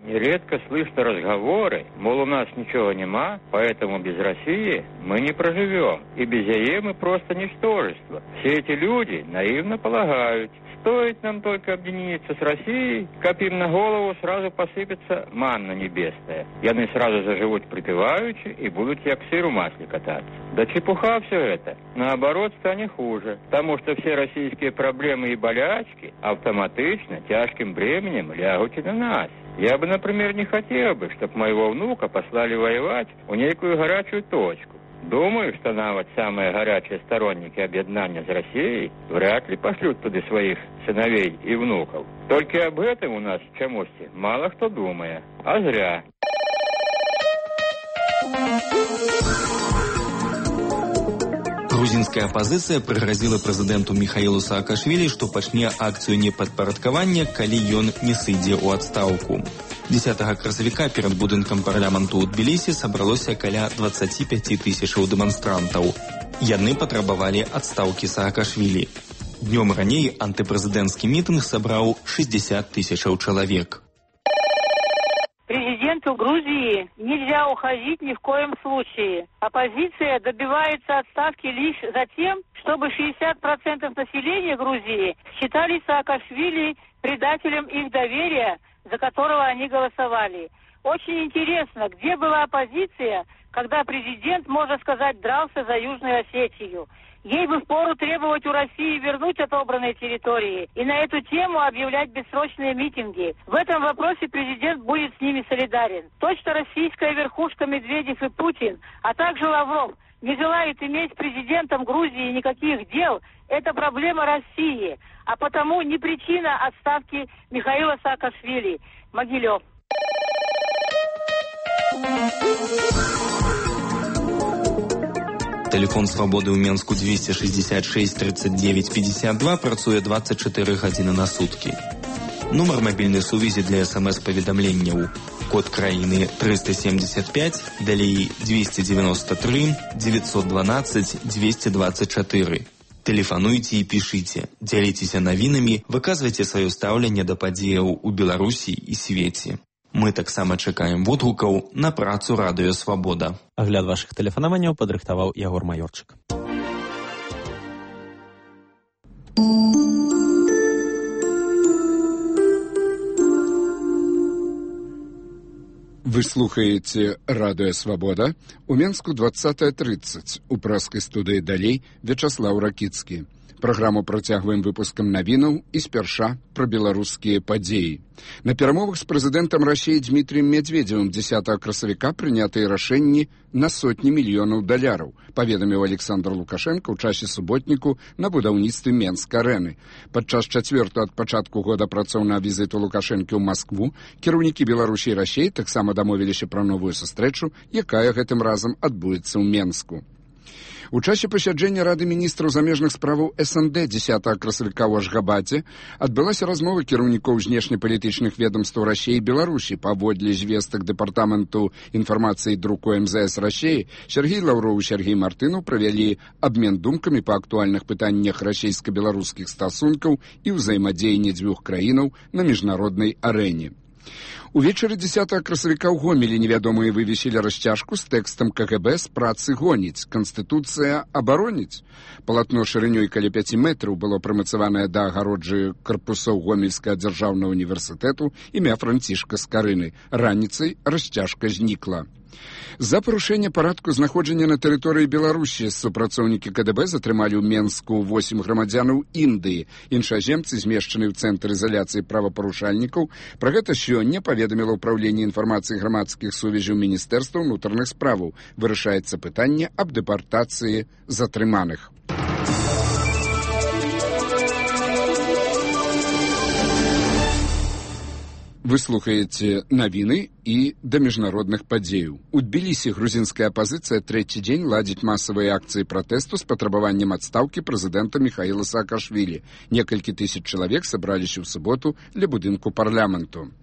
Нередко слышно разговоры, мол, у нас ничего нема, поэтому без России мы не проживем, и без ЕЕ мы просто ничтожество. Все эти люди наивно полагают, стоит нам только объединиться с Россией, как им на голову сразу посыпется манна небесная. И они сразу заживут припеваючи и будут як сыр в масле кататься. Да чепуха все это. Наоборот, станет хуже, потому что все российские проблемы и болячки автоматично тяжким бременем лягут и на нас. Я бы, например, не хотел бы, чтобы моего внука послали воевать в некую горячую точку. Думаю, что навод самые горячие сторонники объединения с Россией вряд ли пошлют туда своих сыновей и внуков. Только об этом у нас в Чамусте мало кто думает. А зря. Грузинская апозіцыя прыгразіла прэзідэнту Міхаілу Саакашвілі, што пачне акцыю непадпарадкавання, калі ён не сыдзе ў адстаўку. 10 красавіка перад будынкам парламенту ў Тбілісі сабралося каля 25 тысячаў дэманстрантаў. Яны патрабавалі адстаўкі Саакашвілі. Днём раней антыпрэзідэнцкі мітынг сабраў 60 тысячаў чалавек. Президент президенту Грузии нельзя уходить ни в коем случае. Оппозиция добивается отставки лишь за тем, чтобы 60% населения Грузии считали Саакашвили предателем их доверия, за которого они голосовали. Очень интересно, где была оппозиция, когда президент, можно сказать, дрался за Южную Осетию. Ей бы впору требовать у России вернуть отобранные территории и на эту тему объявлять бессрочные митинги. В этом вопросе президент будет с ними солидарен. Точно российская верхушка Медведев и Путин, а также Лавров, не желает иметь с президентом Грузии никаких дел. Это проблема России, а потому не причина отставки Михаила Саакашвили. Могилев. Телефон «Свободы» ў Менску 266 39 52 працуе 24 гадзіны на суткі. Нумар мабільнай сувязі для СМС-паведамленняў. Код краіны 375, далей 293 912 224. Тэлефануйце і пішыце, дзяліцеся навінамі, выказвайце сваё стаўленне да падзеяў у Беларусі і свеце. Мы таксама чакаем водгукаў на працу радыё «Свабода». Агляд вашых тэлефанаванняў падрыхтаваў Ягор Маёрчык. Вы слухаеце радыё «Свабода». У Менску 20:30. У праскай студыі далей Вячаслаў Ракіцкі. Праграму працягваем выпускам навінаў і спярша пра беларускія падзеі. На перамовах з прэзідэнтам Расіі Дмітрием Медведевым 10 красавіка прынятыя рашэнні на сотні мільёнаў даляраў, паведаміў Александр Лукашенко ў часе суботніку на будаўніцтве Менск-арэны. Падчас 4-го ад пачатку года працоўнага візіту Лукашэнкі ў Маскву кіраўнікі Беларусі і Расіі таксама дамовіліся пра новую сустрэчу, якая гэтым разам адбудзецца ў Менску. У часе пасяджэння Рады міністраў замежных справаў СНД 10 красавіка ў Ашгабаце адбылася размова кіраўнікоў знешнепалітычных ведомстваў Расіі і Беларусі. Паводле звестак Дэпартаменту інфармацыі і друку МЗС Расіі, Сергей Лаўроў і Сергей Мартынаў правялі абмен думкамі па актуальных пытаннях расійска-беларускіх стасункаў і ўзаемадзеяння дзвюх краінаў на міжнароднай арэне. Увечары 10 красавіка ў Гомелі невядомыя вывесілі расцяжку з тэкстам КГБ з працы гоніць. Канстытуцыя абароніць. Палатно шырынёй каля 5 метраў было прымацаванае да агароджы карпусоў Гомельскага дзяржаўнага універсітэту імя Францішка Скарыны. Раніцай расцяжка знікла. За парушэнне парадку знаходжання на тэрыторыі Беларусі супрацоўнікі КДБ затрымалі ў Менску 8 грамадзянаў Індыі. Іншаземцы змешчаны ў цэнтр ізаляцыі правапарушальнікаў. Пра гэта сёння паведаміла ўпраўленне інфармацыі грамадскіх сувязяў Міністэрства ўнутраных справаў. Вырашаецца пытанне аб дэпартацыі затрыманых. Вы слухаеце навіны і да міжнародных падзеяў. У Тбілісі грузінская апазіцыя трэці дзень ладзіць масавыя акцыі пратэсту з патрабаваннем адстаўкі прэзідэнта Михаіла Саакашвілі. Некалькі тысяч чалавек сабраліся ў суботу ля будынку парламенту.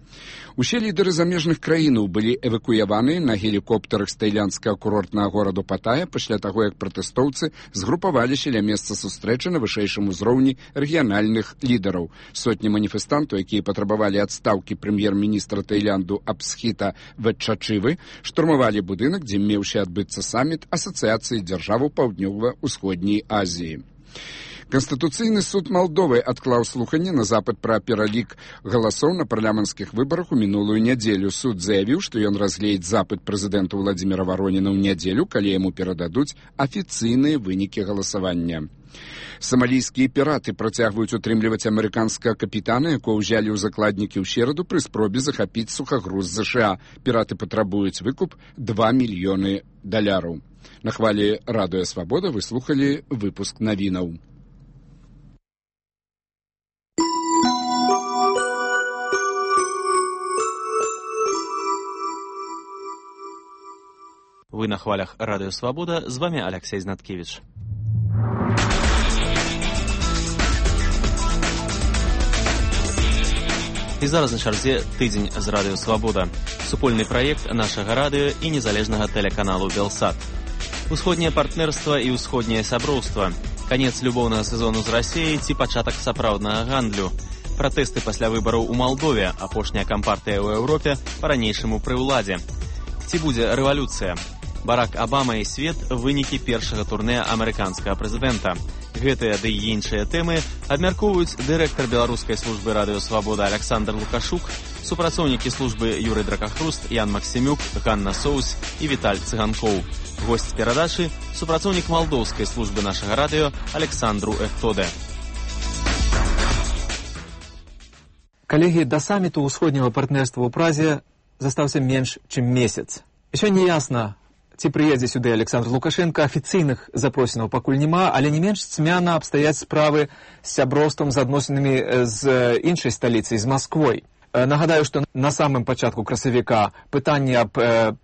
Усе лідары замежных краінаў былі эвакуяваны на гелікоптарах з таіландскага курортнага гораду Паттая пасля таго, як пратэстоўцы згрупаваліся ля месца сустрэчы на вышэйшым узроўні рэгіянальных лідараў. Сотні маніфестантаў, якія патрабавалі адстаўкі прэм'ер-міністра Таіланду Абсхіта Ветчачывы, штурмавалі будынак, дзе меўся адбыцца саміт Асацыяцыі дзяржаваў Паўднёва-ўсходняй Азіі. Канстытуцыйны суд Малдовы адклаў слуханне на запыт пра пералік галасоў на парламенцкіх выбарах у мінулую нядзелю. Суд заявіў, што ён разгледзіць запыт прэзідэнта Владзіміра Вароніна ў нядзелю, калі яму перададуць афіцыйныя вынікі галасавання. Самалійскія піраты працягваюць утрымліваць амерыканскага капітана, якого ўзялі ў закладнікі ў сераду пры спробе захапіць сухагруз ЗША. Піраты патрабуюць выкуп $2 мільёны. На хвалі радыё «Свабода» вы слухалі выпуск навінаў. Вы на хвалях радыё «Свабода», з вами Алексей Знаткевич. І зараз на чарзе тыдзень з радыё «Свабода». Супольны праект нашага радыё і незалежнага тэлеканалу «Белсат». Усходняе партнерства і ўсходняе сяброўства. Канец любоўнага сезону з Расіяй ці пачатак сапраўднага гандлю. Пратэсты пасля выбараў у Малдове, апошняя кампартыя ў Еўропе па-ранейшаму пры ўладзе. Ці будзе рэвалюцыя? Барак Абама і свет – вынікі першага турне амерыканскага прэзідэнта. Гэтыя ды і іншыя тэмы абмяркоўваюць дырэктар беларускай службы радыё «Свабода» Александр Лукашук, супрацоўнікі службы Юрый Дракахруст, Ян Максімюк, Ганна Соус і Віталь Цыганкоў. Госць перадачы – супрацоўнік малдоўскай службы нашага радыё Александру Эхтоде. Коллеги, до саммиту усходнего партнерства ў Празе застаўся менш, чым месяц. Еще не ясно, ці прыедзе сюды Александр Лукашенко, афіцыйных запросінаў пакуль няма, але не менш цьмяна абстаяць справы з сяброўствам, з адносінамі з іншай сталіцай, з Масквой. Нагадаю, што на самым пачатку красавіка пытанне аб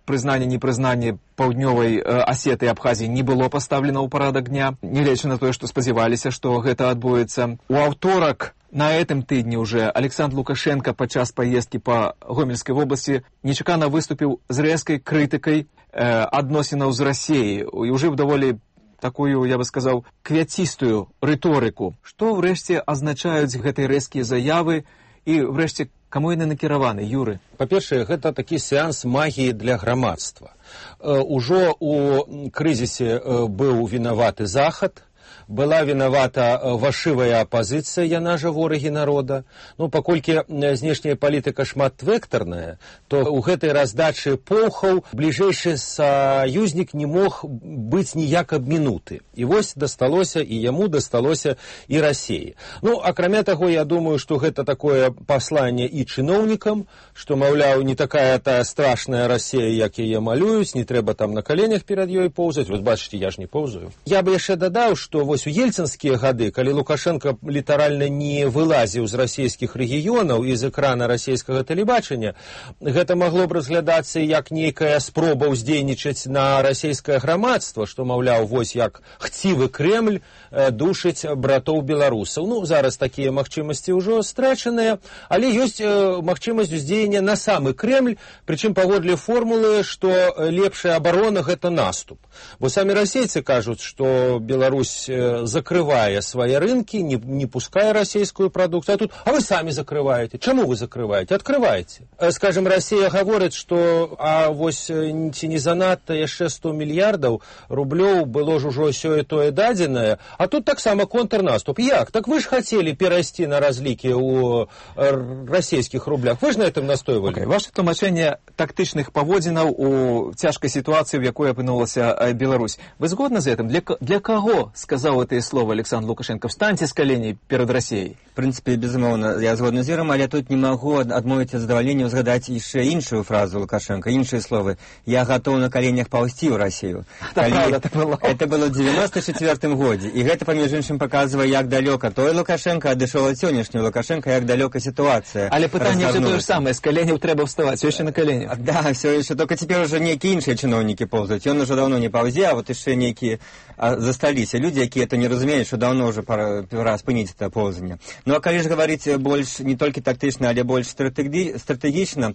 прызнанні-непрызнанні паўднёвай Асеты і Абхазіі не было пастаўлена ў парадак дня, нягледзячы на тое, што спадзяваліся, што гэта адбудзецца. У аўторак на этом тыдні уже Александр Лукашенко падчас паездкі па Гомельскай вобласці нечакана выступіў з рэзкай крытыкай адносінаў з Расіяй і ўжыў даволі такую, я бы сказаў, квяцістую рыторыку. Што ўрэшце азначаюць гэтыя рэзкія заявы і ўрэшце каму яны накіраваны, Юры? Па-першае, гэта такі сеанс магіі для грамадства. Ужо у крызісе быў вінаваты Захад, была вінавата фальшывая апазіцыя, яна жа ворагі народа. Ну, паколькі знешняя палітыка шматвектарная, то ў гэтай раздачы полхаў бліжэйшы саюзнік не мог быць ніяк абмінуты. І вось дасталося, і яму дасталося і Расіі. Ну, акрамя таго, я думаю, што гэта такое пасланне і чыноўнікам, што, маўляў, не такая тая страшная Расія, як яе малююць, не трэба там на каленях перад ёй поўзаць. Вось бачыце, я ж не поўзаю. Я бы яшчэ дадаў, што вось у ельцынскія гады, калі Лукашенко літаральна не вылазіў з расійскіх рэгіёнаў і з экрана расійскага тэлебачання, гэта магло б разглядацца як нейкая спроба ўздзейнічаць на расійскае грамадства, што, маўляў, вось як хцівы Кремль душыць братоў беларусаў. Ну, зараз такія магчымасці ўжо страчаныя, але ёсць магчымасць уздзеяння на самы Кремль, прычым паводле формулы, што лепшая абарона – гэта наступ. Бо самі расейцы кажуць, што Беларусь закрывае свае рынкі, не пускае расійскую прадукцыю, а вы самі закрываеце. Чаму вы закрываеце? Адкрываеце. Скажем, Расія гаворыць, што вось ці не занадта яшчэ 100 мільярдаў рублёў было ж ужо сёе-тое дадзенае, а тут таксама контрнаступ. Як? Так вы ж хацелі перайсці на разлікі ў расійскіх рублях. Вы ж на этом настойвалі. Ваше тлумачэнне тактычных паводзінаў у цяжкай сітуацыі, в якой апынулася Беларусь. Вы згодны з гэтым? Для каго сказаў это слово Александр Лукашенко? Встаньте с коленей перед Россией. В принципе, безумоўна, я згодны з Юром, але тут не могу адмовіць ад задавальнення згадаць яшчэ іншую фразу Лукашенко, іншыя словы. Я готов на коленях паўзці ў Россию. Это было в 94 годзе. І гэта, паміж іншым, паказвае, як далёка той Лукашенко адышоў ад сённяшняга Лукашенко, як далёка ситуация. Але пытанне ўсё тое ж самае, з коленяў трэба вставаць, все еще на коленях. Да, все еще, только теперь уже некие іншыя чыноўнікі паўзаюць. Ён уже давно не паўзе, а вот яшчэ некие засталіся люди, якія это не разумеюць, што даўно уже пора спыніць это поўзанне. Ну, а калі ж гаварыць больш не толькі тактычна, але больш стратэгічна,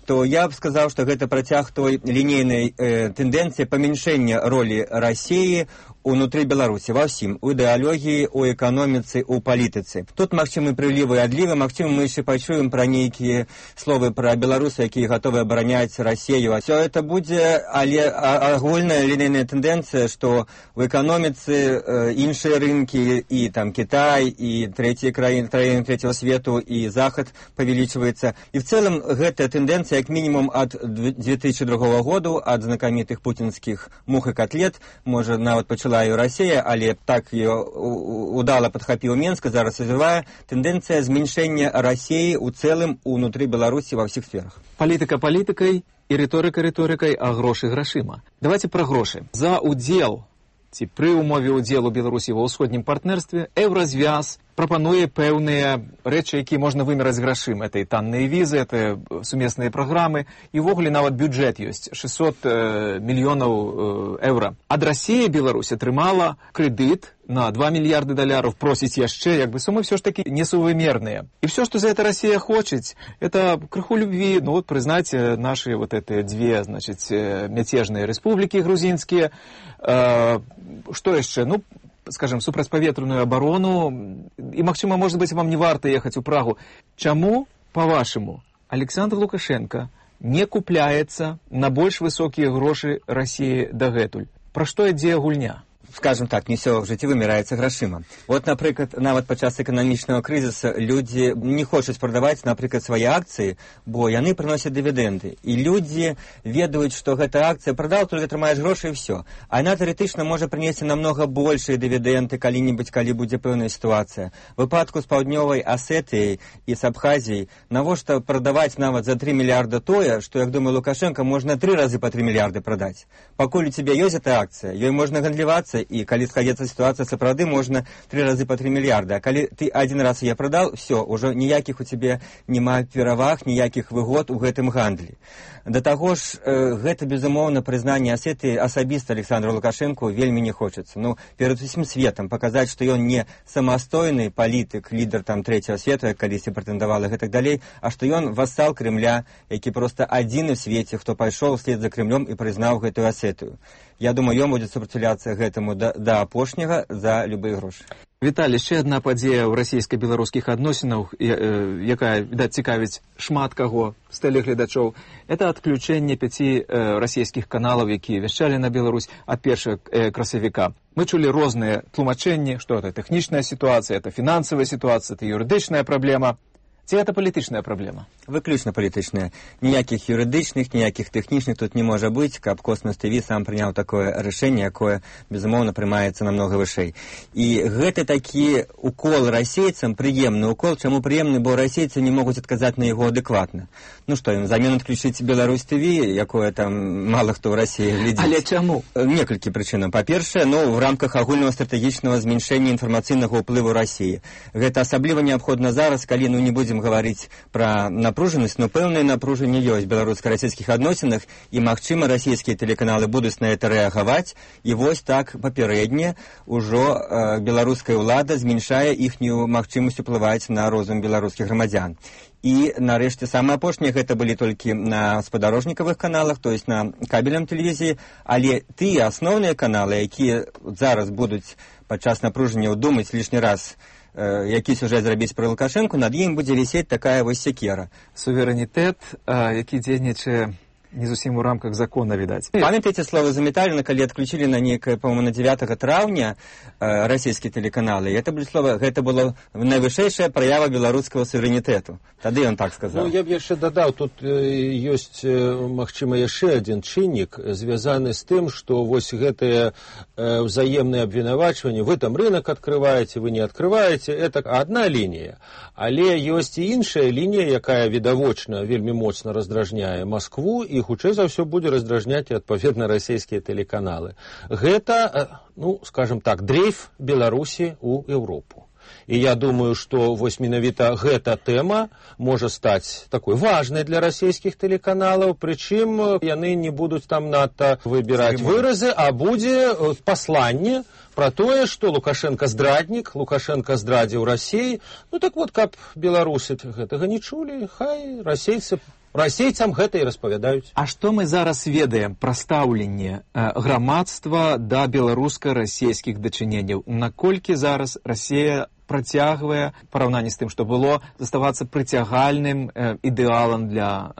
то я б сказаў, што гэта працяг той лінейнай тэндэнцыі памяншэння ролі Расіі унутры Беларусі, ва ўсім, у ідэалогіі, у эканоміцы, у палітыцы. Тут магчымы прылівы і адлівы, магчыма, мы яшчэ пачуем пра нейкія словы пра беларусы, якія гатовы абараняць Расію. Все это будзе, але агульная лінейная тэндэнцыя, што в эканоміцы іншыя рынкі, і там Кітай, і трэція краіны трэцяго свету, і Захад павялічваецца. І в цэлым гэтая тэндэнцыя, як мінімум, ад 2002 году, ад знакамітых путінскіх мух і котлет, можа, нават пачала і Расія, але так ее удала падхапіў Менск, зараз развівае тэндэнцыя зменшэння Расіі ў цэлым унутры Беларусі ва ўсіх сферах. Палітыка палітыкай і рыторыка рыторыкай, а грошы грашыма. Давайте пра грошы. За удзел ці пры ўмове ўдзелу Беларусі ва ўсходнім партнерстве Еўразвяз прапануе пэўныя рэчы, якія можна вымераць грашыма. Это і танныя візы, это сумесныя праграмы, і ўвогуле нават бюджэт ёсць 600 мільёнаў еўра. Ад Расіі Беларусь атрымала крэдыт на 2 мільярды даляраў, просіць яшчэ, як бы сумы все ж таки несувымерныя. І все, что за это Россия хочет, это крыху любви, ну вот признать наши вот эти две, значит, мятежные республики грузинские. Что еще? Ну, скажем, супрацьпаветраную оборону, и, магчыма, может быть, вам не варта ехать у Прагу. Чаму, по-вашему, Александр Лукашенко не купляецца на больш высокія грошы России дагэтуль? Пра што ідзе гульня? Скажем так, не все в жыцці вымираецца грашыма. Вот, напрыклад, нават падчас эканамічнага крызіса людзі не хочуць прадаваць, напрыклад, свае акцыі, бо яны прыносяць дывідэнды. І людзі ведаюць, што гэта акцыя прадаў, толькі атрымаеш грошы і все. А яна тэарэтычна можа прынесці намнога большыя дывідэнды калі-небудзь, калі будзе пэўная сітуацыя. В выпадку з Паўднёвай Асетыяй і з Абхазіяй навошта прадаваць нават за 3 мільярда тое, што, як думаю, Лукашенко, можна 3 разы па 3 мільярды прадаць. Пакуль у цябе ёсць эта акцыя, ёй можна гандлівацца, і калі сходзіцца сітуацыя, сапраўды можна 3 разы па 3 мільярда. А калі ты один раз я прадаў, все, ўжо ніякіх у цябе няма пераваг, ніякіх выгод у гэтым гандлі. Да таго ж, гэта, безумоўна, прызнанне Асетыі асабіста Александру Лукашенку вельмі не хочацца. Ну, перад усім светам паказаць, што ён не самастойны палітык, лідар там трэцяга свету, як калісьці прэтэндавала, гэтак далей, а што ён вассал Крымля, які проста адзіны ў свеце, хто пайшоў услед за Крымлем і прызнаў гэтую Асетыю. Я думаю, ён будзе супраціўляцца гэтаму да апошняга за любыя грошы. Віталій, ще одна падзея ў расійска-беларускіх адносінах, якая, відаць, цікавіць шмат каго з тэлегледачоў, это адключэнне 5 расійскіх каналаў, якія вяшчалі на Беларусь ад 1 красавіка. Мы чулі розныя тлумачэнні, што это тэхнічная сітуацыя, это фінансавая сітуацыя, это юрыдычная праблема. Ці гэта палітычная праблема? Выключна палітычная. Ніякіх юрыдычных, ніякіх тэхнічных тут не можа быць, каб Космас ТВ сам прыняў такое рашэнне, якое, безумоўна, прымаецца намнога вышэй. І гэта такі укол расейцам, прыемны укол. Чаму прыемны? Бо расейцы не могуць адказаць на яго адэкватна. Ну што, ім замен адключыць Беларусь ТВ, якое там мала хто ў Расіі глядзіць. Але чаму? Некалькі прычынаў. Па-першае, в рамках агульнага стратэгічнага зменшэння інфармацыйнага ўплыву Расіі. Гэта асабліва неабходна зараз, калі не будзем гаварыць пра напружанасць, но пэўнае напружанне ёсць в беларуска-расійскіх адносінах, і, магчыма, расійскія тэлеканалы будуць на это рэагаваць, і вось так папярэдне ўжо беларуская ўлада зменшае іхнюю магчымасць уплываць на розум беларускіх грамадзян. І, нарэшце, самае апошняе, гэта былі толькі на спадарожнікавых каналах, то есть на кабельным тэлевізіі, але тыя асноўныя каналы, якія зараз будуць падчас напружання думаць лішні раз, які сюжэт зрабіць пра Лукашэнку, над ім будзе вісець такая вось секера. Суверэнітэт, які дзейнічае не зусім у рамках закона, відаць. Памятаеце слова Заметаліна, калі адключілі на некае, по-моему, на 9 траўня расійскія тэлеканалы? Гэта было найвышэйшая праява беларускага суверэнітэту. Тады ён так сказаў. Ну, я б яшчэ дадаў, тут ёсць, магчыма, яшчэ адзін чыннік, звязаны з тым, што вось гэтае взаемнае абвінавачванне, вы там рынок адкрываеце, вы не адкрываеце, это адна лінія. Але ёсць і іншая лінія, якая відавочна вельмі моцна раздражняе Маскву, і хутчэй за ўсё будзе раздражняць і адпаведна расійскія тэлеканалы. Гэта, скажем так, дрейф Беларусі ў Еўропу. І я думаю, што вось менавіта гэта тэма можа стаць такой важнай для расійскіх тэлеканалаў, прычым яны не будуць там надта выбіраць выразы, а будзе пасланне пра тое, што Лукашенко здраднік, Лукашенко здрадзіў Расіі. Ну так вот, каб беларусы гэтага не чулі, хай расейцам гэта і распавядаюць. А што мы зараз ведаем пра стаўленне грамадства да беларуска-расійскіх дачыненняў? Наколькі зараз Расія працягвае, параўнанні з тым, што было, заставацца прыцягальным ідэалам для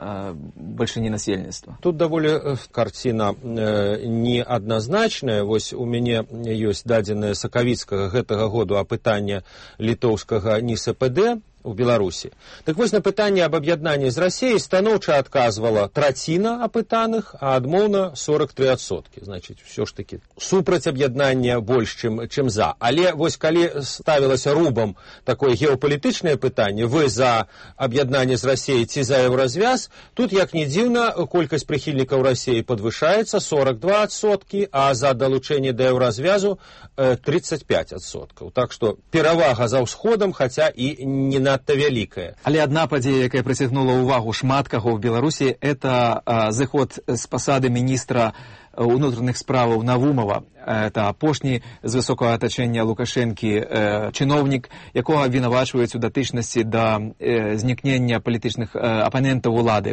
бальшыні насельніцтва? Тут даволі карціна неадназначная. Вось у мяне ёсць дадзеныя сакавіцкага гэтага году апытання літоўскага НИСПД у Беларусі. Так вось на пытанне аб аб'яднанні з Расіяй станоўча адказвала траціна апытаных, а адмоўна 43%. Значыць, ўсё ж такі супраць аб'яднання больш, чым за. Але вось калі ставілася рубам такое геапалітычнае пытанне, вы за аб'яднанне з Расіяй ці за еўразвяз, тут, як не дзіўна, колькасць прыхільнікаў Расіі падвышаецца 42%, а за далучэнне да еўразвязу 35%. Так што перавага за ўсходам, хаця і не надта вялікая. Але адна падзея, якая прыцягнула ўвагу шмат каго ў Беларусі, это зыход з пасады міністра унутраных справаў Навумова. Это апошні з высокага атачэння Лукашэнкі чыноўнік, якога абвінавачваюць у датычнасці да знікнення палітычных апанентаў улады,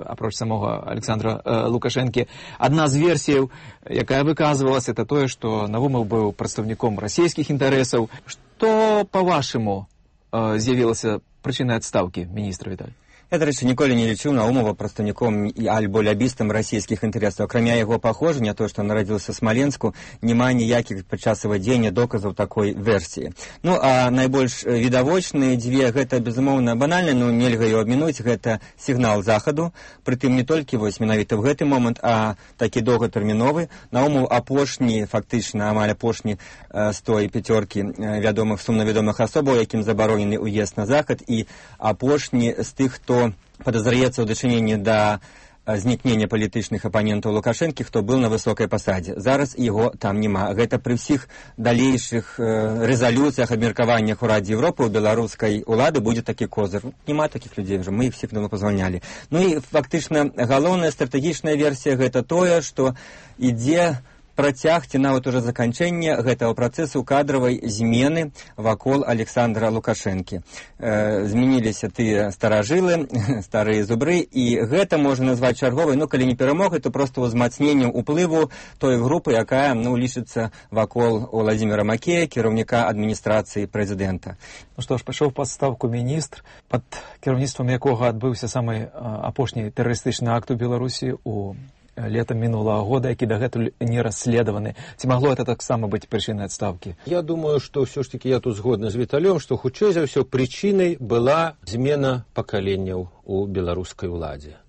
апроч самога Александра Лукашэнкі. Адна з версіяў, якая выказвалася, это тое, што Навумов быў прадстаўніком расійскіх інтарэсаў. Што, па-вашаму, з'явілася прычынай адстаўкі міністра, Віталь? Я, до речі, ніколи не лічыў Наумова прадстаўніком альбо лябістам расійскіх інтарэсаў. Акрамя яго паходжання, то, што нарадзіўся ў Смаленску, няма ніякіх падчас вывядзення доказаў такой версіі. Ну, а найбольш відавочныя дзве, гэта, безумоўна, банальна, но нельга яго абмінуць, гэта сігнал захаду, прытым не толькі вось менавіта ў гэты момант, а такі доўгатэрміновы. Наумов апошні, фактычна, амаль апошні з той пяцёркі вядомых, сумна вядомых асобаў, якім забаронены ўезд на захад, і апошні з тых, хто подозряется ў дачыненні да знікнення палітычных апанентаў Лукашэнкі, хто быў на высокай пасадзе. Зараз яго там няма. Гэта пры ўсіх далейшых рэзалюцыях, абмеркаваннях у Радзе Европы у беларускай улады будзе такі козыр. Няма такіх людзей ўжо, мы іх всіх давно пазвальнялі. Ну і фактычна галоўная стратэгічная версія гэта тое, што ідзе працяг ці нават уже заканчэнне гэтага працэсу кадравай змены вакол Александра Лукашэнкі. Змяніліся тыя старажылы, старыя зубры, і гэта можна назваць чарговай, ну, калі не перамогай, то проста ўзмацненнем уплыву той групы, якая, ну, лічыцца вакол Владзіміра Макея, кіраўніка адміністрацыі прэзідэнта. Ну што ж, пайшоў пад стаўку міністр, пад кіраўніцтвам якога адбыўся самы апошні тэрарыстычны акт у Беларусі у летом минулого года, які дагэтуль не расследованы. Ці магло это таксама быць прычынай адстаўкі? Я думаю, што ўсё ж таки я тут згодны з Віталём, што хутчэй за ўсё прычынай была змена пакаленняў у беларускай уладзе.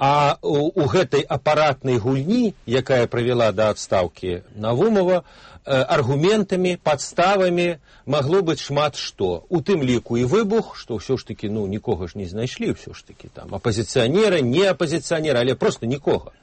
А у гэтай апаратнай гульні, якая правяла да адстаўкі Навумова, аргументамі, падставамі магло быць шмат што. У тым ліку і выбух, што ўсё ж таки, ну, нікога ж не знайшлі, ўсё ж таки, там, апазіцыянеры, не апазіцыянеры, але проста нікога.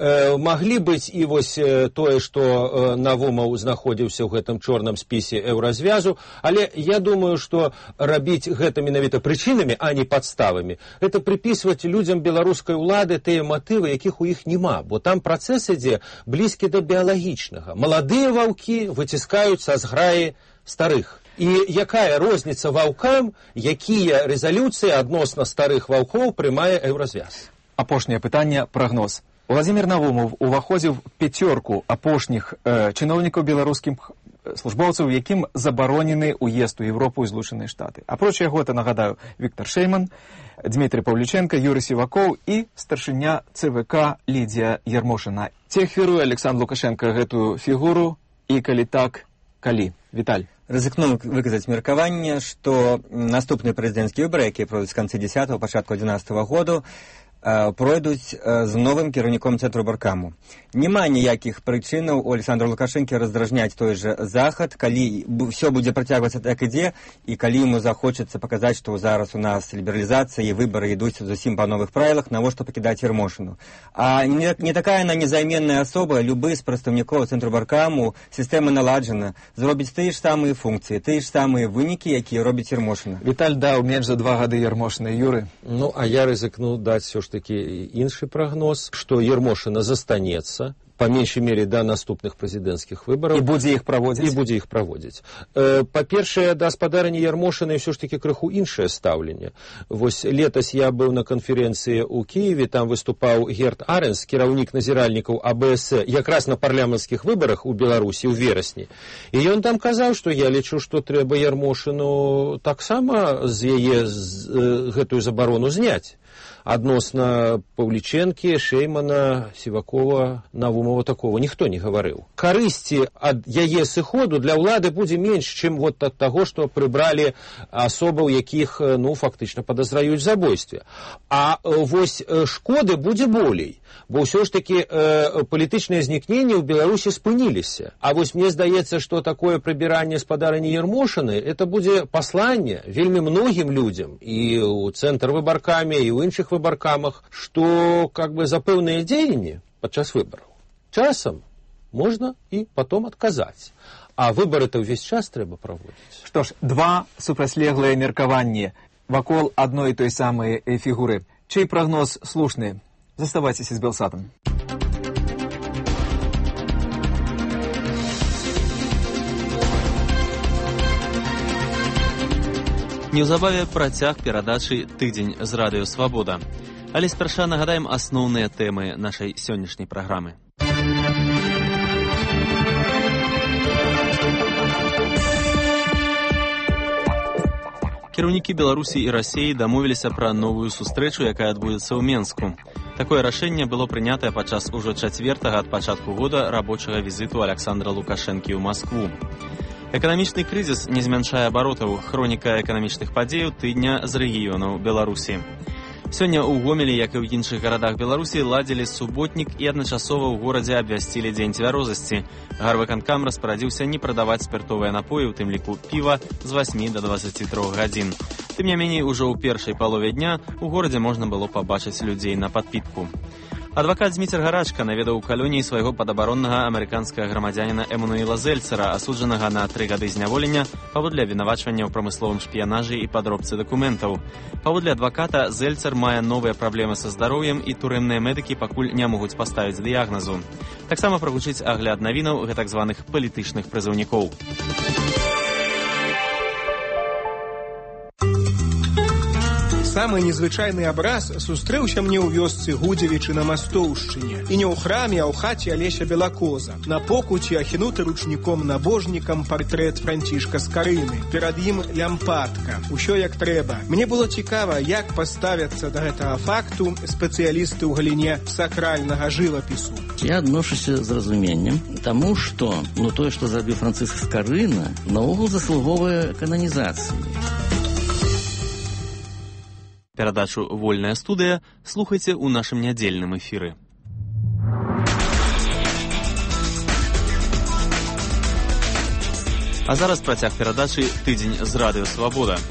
Маглі быць і вось тое, што Навумов знаходзіўся ў гэтым чорным спісе еўразвязу, але я думаю, што рабіць гэта менавіта прычынамі, а не падставамі, гэта прыпісваць людзям беларускай улады тыя матывы, якіх у іх няма, бо там працэс ідзе блізкі да біялагічнага. Маладыя ваўкі выціскаюць са зграі старых. І якая розніца ваўкам, якія рэзалюцыі адносна старых ваўкоў прымае еўразвяз? Апошняе пытанне, прагноз. Владзімір Навумов уваходзіў в пяцёрку апошніх чыноўнікаў беларускіх службоўцаў, якім забаронены ўезд у Европу і Злучаныя Штаты. Апроч яго, это, нагадаю, Віктор Шейман, Дмітрий Павліченко, Юрий Сівакоў і старшыня ЦВК Лідія Ярмошына. Ці ахвяруе Александр Лукашенко гэтую фігуру, і калі так, калі? Віталь. Рызыкну выказаць меркаванне, што наступныя прэзідэнцкія выбары, якія пройдуць з канцы 10-го, пачатку 11-го году, пройдуць з новым кіраўніком цэнтру Баркаму. Няма ніякіх прычынаў у Александра Лукашэнкі раздражняць той же захад, калі ўсё будзе працягвацца так ідзе, і калі яму захочацца паказаць, што зараз у нас лібералізацыя і выбары ідуць зусім па новых правілах, навошта пакідаць Ярмошыну. А не такая она незайменная асоба, любы з прадстаўнікоў цэнтру Баркаму, сістэма наладжана, зробіць тыя ж самыя функцыі, тыя ж самыя вынікі, якія робіць Ярмошына. Віталь даў менш за 2 гады Ярмошына. Юры? Ну, а я рызыкну даць все ж такі іншы прагноз, што Ярмошына застанецца, па меншай мере да наступных прэзідэнцкіх выбараў. І будзе іх праводзіць? І будзе іх праводзіць. Па-першае, да гаспадарання Ярмошыны ўсё ж такі крыху іншае стаўленне. Вось летась я быў на канферэнцыі ў Кіеве, там выступаў Герт Аренс, кіраўнік назіральнікаў АБС, якраз на парламенцкіх выбарах у Беларусі ў верасні. І ён там казаў, што я лічу, што трэба Ярмошыну таксама з яе гэтую забарону зняць. Адносна Паўлічэнкі, Шеймана, Сівакова, Навумова такого ніхто не гаварыў. Карысці ад яе сыходу для ўлады будзе менш, чым вот ад таго, што прыбралі асобаў, якіх, ну, фактычна падазраюць забойстве. А вось шкоды будзе болей, бо ўсё ж такі палітычныя знікненні ў Беларусі спыніліся. А вось мне здаецца, што такое прыбіранне спадарні Ярмошыны, это будзе пасланне вельмі многім людзям, і ў цэнтр выбаркамі, і ў іншых выбаркамах, што как бы за пэўныя дзеянні падчас выбараў часам можна і потом адказаць. А выбары-то ўвесь час трэба праводзіць. Што ж, 2 супрацьлеглыя меркаванні вакол адной і той самай фігуры. Чый прагноз слушны? Заставайцеся з Белсатам. Неўзабаве працяг перадачы «Тыдзень з радыё Свабода». Але спярша нагадаем асноўныя тэмы нашай сённяшняй праграмы. Кіраўнікі Беларусі і Расіі дамовіліся пра новую сустрэчу, якая адбудзецца ў Менску. Такое рашэнне было прынятае падчас ужо чацвертага ад пачатку года рабочага візіту Александра Лукашэнкі ў Маскву. Эканамічны крызіс не змяншае абаротаў. Хроніка эканамічных падзеяў тыдня з рэгіёнаў Беларусі. Сёння ў Гомелі, як і ў іншых гарадах Беларусі, ладзілі суботнік і адначасова ў горадзе абвясцілі дзень цвярозасці. Гарвыканкам распарадзіўся не прадаваць спіртовыя напоі, у тым ліку піва, з 8 до 23 гадзін. Тым не меней, ужо ў першай палове дня у горадзе можна было пабачыць людзей на падпітку. Адвакат Зміцер Гарачка наведаў у калоніі свайго падабароннага амерыканскага грамадзяніна Эмануіла Зельцера, асуджанага на 3 гады зняволення паводле абвінавачвання ў прамысловым шпіянажы і падробцы дакументаў. Паводле адваката, Зельцер мае новыя праблемы са здароўем і турэмныя медыкі пакуль не могуць паставіць дыягназу. Таксама прагучыць агляд навінаў гэтак званых палітычных прызыўнікоў. Самы незвычайны абраз сустрэўся мне ў вёсцы Гудзевічы на Мастоўшчыне. І не ў храме, а ў хаце Алеся Белакоза. На покуці ахінуты ручніком-набожнікам партрэт Францішка Скарыны. Перад ім лямпадка. Усё як трэба. Мне было цікава, як паставяцца да гэтага факту спецыялісты ў галіне сакральнага жывапісу. Я адношуся з разуменнем, таму што тое, што зрабіў Францыск Скарына, наогул заслуговае кананізацыі. Перадачу «Вольная студыя» слухайце ў нашым нядзельным эфіры. А зараз працяг перадачы «Тыдзень з радыё Свабода».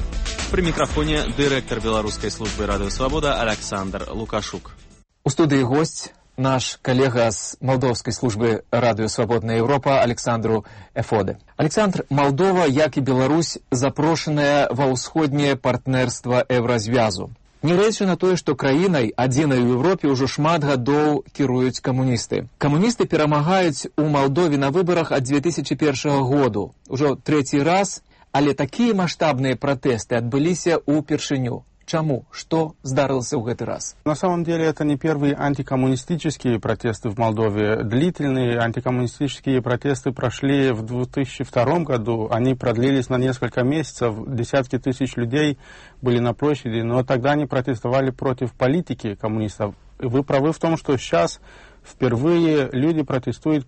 Пры мікрафоне дырэктар беларускай службы радыё Свабода Александр Лукашук. У студыі госць наш калега з малдоўскай службы радыё Свабодная Еўропа Александру Эфоде. Александр, Малдова, як і Беларусь, запрошаная ва ўсходняе партнерства Еўразвязу. Нягледзячы на тое, што краінай, адзінай у Еўропе, ўжо шмат гадоў кіруюць камуністы. Камуністы перамагаюць у Малдове на выбарах ад 2001 году. Ужо 3-й раз, але такія маштабныя пратэсты адбыліся ўпершыню. Чему? Что здарылся в этот раз? На самом деле это не первые антикоммунистические протесты в Молдове. Длительные антикоммунистические протесты прошли в 2002 году. Они продлились на несколько месяцев. Десятки тысяч людей были на площади. Но тогда они протестовали против политики коммунистов. Вы правы в том, что сейчас впервые люди протестуют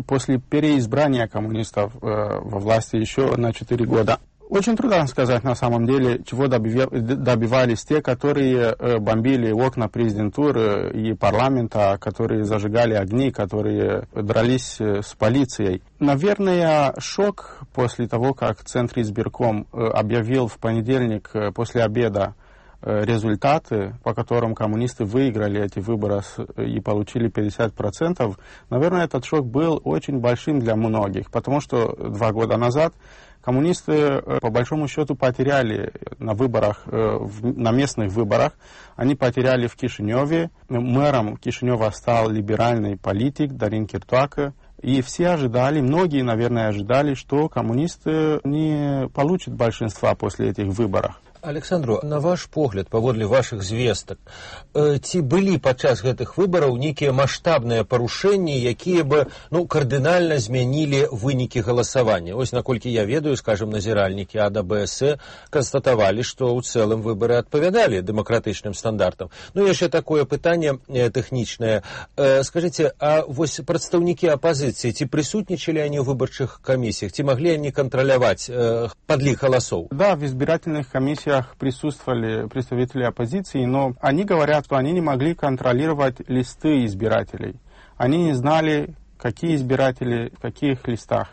после переизбрания коммунистов во власти еще на 4 года. Очень трудно сказать на самом деле, чего добивались те, которые бомбили окна президентуры и парламента, которые зажигали огни, которые дрались с полицией. Наверное, шок после того, как Центр избирком объявил в понедельник после обеда результаты, по которым коммунисты выиграли эти выборы и получили 50%, наверное, этот шок был очень большим для многих, потому что 2 года назад коммунисты, по большому счету, потеряли на выборах, на местных выборах. Они потеряли в Кишиневе. Мэром Кишинева стал либеральный политик Дарин Киртуака. И все ожидали, многие, наверное, ожидали, что коммунисты не получат большинства после этих выборов. Александру, на ваш погляд, паводле ваших звестак, ці былі падчас гэтых выбараў нейкія маштабныя парушэнні, якія бы кардынальна змянілі вынікі галасавання? Ось, наколькі я ведаю, скажем, назіральнікі АДБС констатавалі, што ў цэлым выбары адпавядалі дэмакратычным стандартам. Яшчэ такое пытанне тэхнічнае. Скажыце, а вось прадстаўнікі апазіцыі, ці прысутнічалі они ў выбарчых камісіях, ці маглі они кантраляваць падлік галасоў? Да, в избирательных комиссиях присутствовали представители оппозиции, но они говорят, что они не могли контролировать листы избирателей. Они не знали, какие избиратели в каких листах.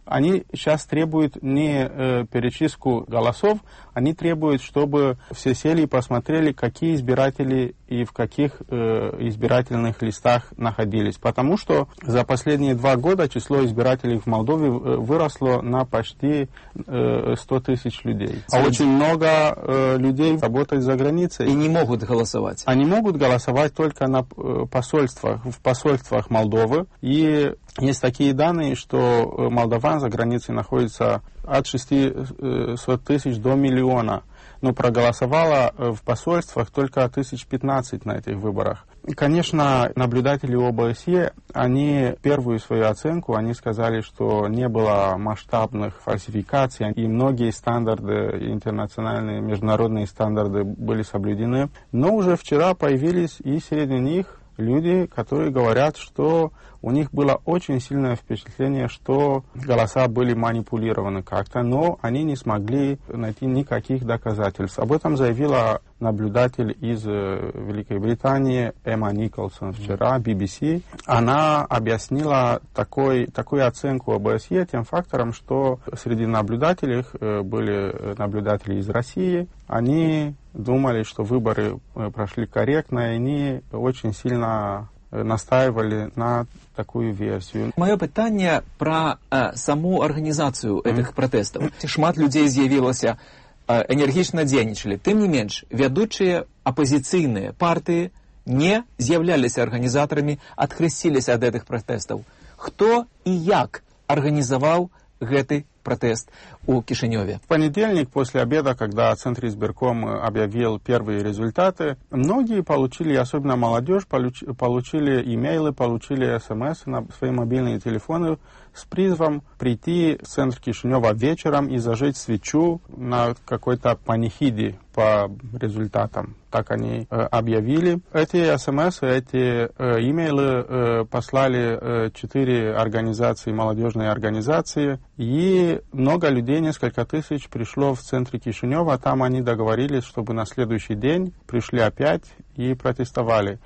Они сейчас требуют не перечистку голосов, они требуют, чтобы все сели и посмотрели, какие избиратели и в каких избирательных листах находились. Потому что за последние 2 года число избирателей в Молдове выросло на почти 100 тысяч людей. А очень много людей работают за границей. И не могут голосовать. Они могут голосовать только на посольствах, в посольствах Молдовы. И есть такие данные, что молдаван за границей находится от 600 тысяч до 1 миллиона. но проголосовало в посольствах только 1500 на этих выборах. Конечно, наблюдатели ОБСЕ, они первую свою оценку, они сказали, что не было масштабных фальсификаций, и многие стандарты, интернациональные, международные стандарты были соблюдены. Но уже вчера появились и среди них люди, которые говорят, что у них было очень сильное впечатление, что голоса были манипулированы как-то, но они не смогли найти никаких доказательств. Об этом заявила наблюдатель из Великой Британии Эмма Николсон вчера, BBC. Она объяснила такую оценку ОБСЕ тем фактором, что среди наблюдателей были наблюдатели из России. Они думали, что выборы прошли корректно, и они очень сильно настаивали на такую версію. Моє питання про саму організацію цих протестів. Шмат людей з'явилося, энергично дзейнічалі. Тым не менш, вядучыя апозіцыйныя партыі не з'яўляліся арганізатарамі, адхрысціліся ад гэтых пратэстаў. Хто і як арганізаваў гэты протест у Кишиневе? В понедельник после обеда, когда Центр избирком объявил первые результаты, многие получили, особенно молодежь, получили имейлы, получили смс на свои мобильные телефоны с призывом прийти в центр Кишинева вечером и зажечь свечу на какой-то панихиде по результатам. Так они объявили. Эти смс, эти имейлы послали 4 организации, молодежные организации, и много людей, несколько тысяч, пришло в центре Кишинева. Там они договорились, чтобы на следующий день пришли опять и протестовали.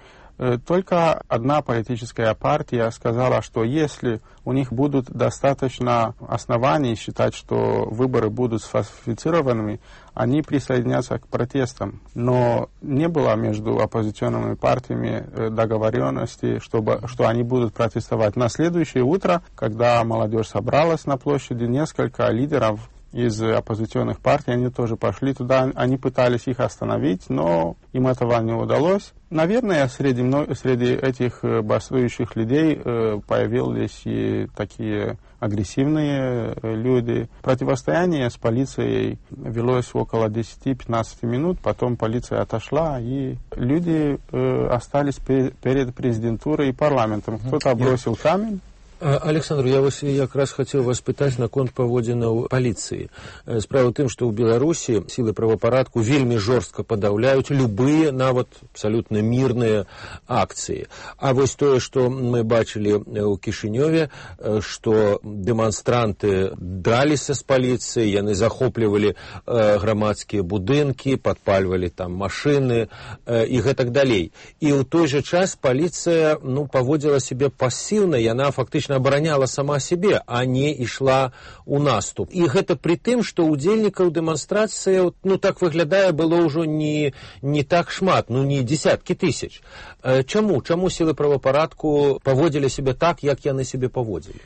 Только одна политическая партия сказала, что если у них будут достаточно оснований считать, что выборы будут сфальсифицированными, они присоединятся к протестам. Но не было между оппозиционными партиями договоренности, что они будут протестовать. На следующее утро, когда молодежь собралась на площади, несколько лидеров из оппозиционных партий, они тоже пошли туда, они пытались их остановить, но им этого не удалось. Наверное, среди этих бастующих людей появились и такие агрессивные люди. Противостояние с полицией велось около 10-15 минут, потом полиция отошла, и люди остались перед президентурой и парламентом. Кто-то бросил камень. Александр, я вас якраз хотел вас пытать наконт паводзінаў паліцыі. Справа ў тым, што ў Беларусі сілы правапарадку вельмі жорстка падаўляюць любыя, нават абсалютна мірныя акцыі. А вось тое, што мы бачылі ў Кішынёве, што дэманстранты драліся з паліцыяй, яны захоплівалі грамадскія будынкі, падпальвалі там машыны і гэтак далей. І ў той жа час паліцыя паводзіла сябе пасіўна, яна фактычна абараняла сама себе, а не ішла у наступ. І гэта пры тым, што удзельнікаў дэманстрацыі, так выглядае, было ўжо не так шмат, не десяткі тысяч. Чаму силы правопорядку поводили себя так, як яны себе поводили?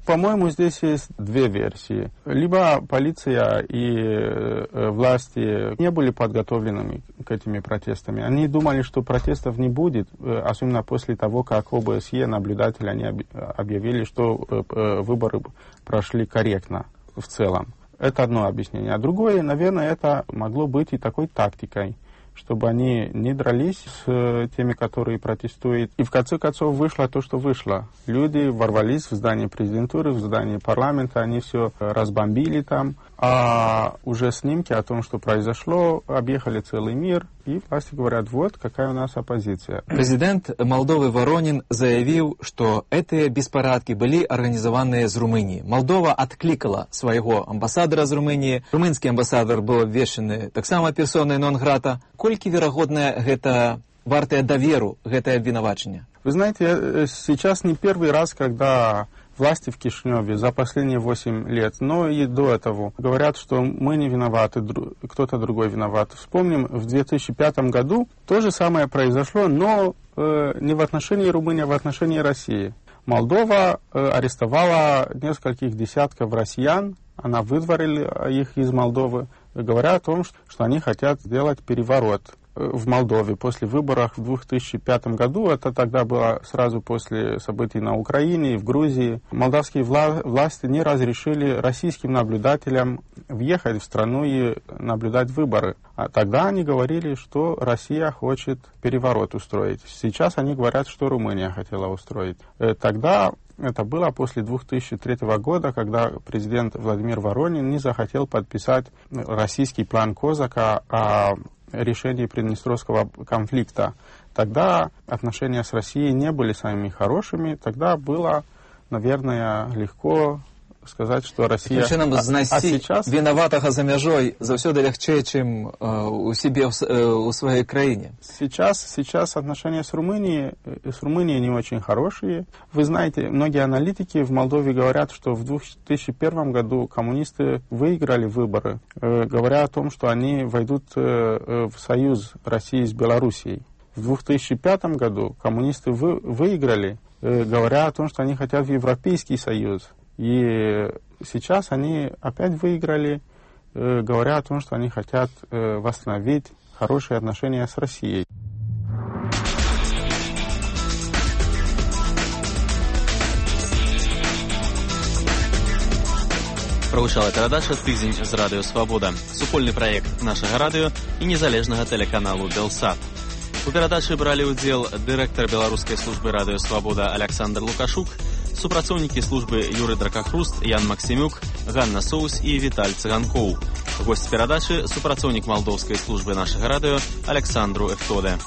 По-моему, здесь есть две версии. Либо полиция и власти не были подготовленными к этим протестам. Они думали, что протестов не будет, особенно после того, как ОБСЕ, наблюдатели, они объявили, что выборы прошли корректно в целом. Это одно объяснение. А другое, наверное, это могло быть и такой тактикой, чтобы они не дрались с теми, которые протестуют. И в конце концов вышло то, что вышло. Люди ворвались в здание президентуры, в здание парламента, они все разбомбили там. А уже снимки о том, что произошло, объехали целый мир, и власти говорят, вот какая у нас оппозиция. Президент Молдовы Воронин заявил, что эти беспорядки были организованы из Румынии. Молдова откликала своего амбассадора из Румынии. Румынский амбассадор был обвешен так само персоной нон-грата. Кольки вероятно это вартое доверу, это обвинувачение? Вы знаете, сейчас не первый раз, когда власти в Кишиневе за последние 8 лет, но и до этого говорят, что мы не виноваты, кто-то другой виноват. Вспомним, в 2005 году то же самое произошло, но не в отношении Румынии, а в отношении России. Молдова арестовала нескольких десятков россиян, она выдворила их из Молдовы, говоря о том, что они хотят сделать переворот. в Молдове после выборов в 2005 году. Это тогда было сразу после событий на Украине и в Грузии. Молдавские власти не разрешили российским наблюдателям въехать в страну и наблюдать выборы. А тогда они говорили, что Россия хочет переворот устроить. Сейчас они говорят, что Румыния хотела устроить. Тогда это было после 2003 года, когда президент Владимир Воронин не захотел подписать российский план Козака о решении Приднестровского конфликта. Тогда отношения с Россией не были самыми хорошими. Тогда было, наверное, легко сказать, что Россия... сейчас виноватого за мяжой заўсёды лягчэй, чым у себе у своей краине. Сейчас отношения с Румынией не очень хорошие. Вы знаете, многие аналитики в Молдове говорят, что в 2001 году коммунисты выиграли выборы, говоря о том, что они войдут в союз России с Белоруссией. В 2005 году коммунисты выиграли, говоря о том, что они хотят в Европейский союз. И сейчас они опять выиграли, говоря о том, что они хотят восстановить хорошие отношения с Россией. Правучала перадача «Тыдзень з Радыё Свабода», супольны праект нашага радыё і незалежнага тэлеканалу «Белсат». У перадачы бралі ўдзел дырэктар беларускай службы «Радыё Свабода» Александр Лукашук, супрацоўнікі службы Юры Дракахруст, Ян Максимюк, Ганна Соус і Віталь Цыганкоў. Госць перадачы — супрацоўнік малдоўскай службы нашага радыё Александру Эфтоде.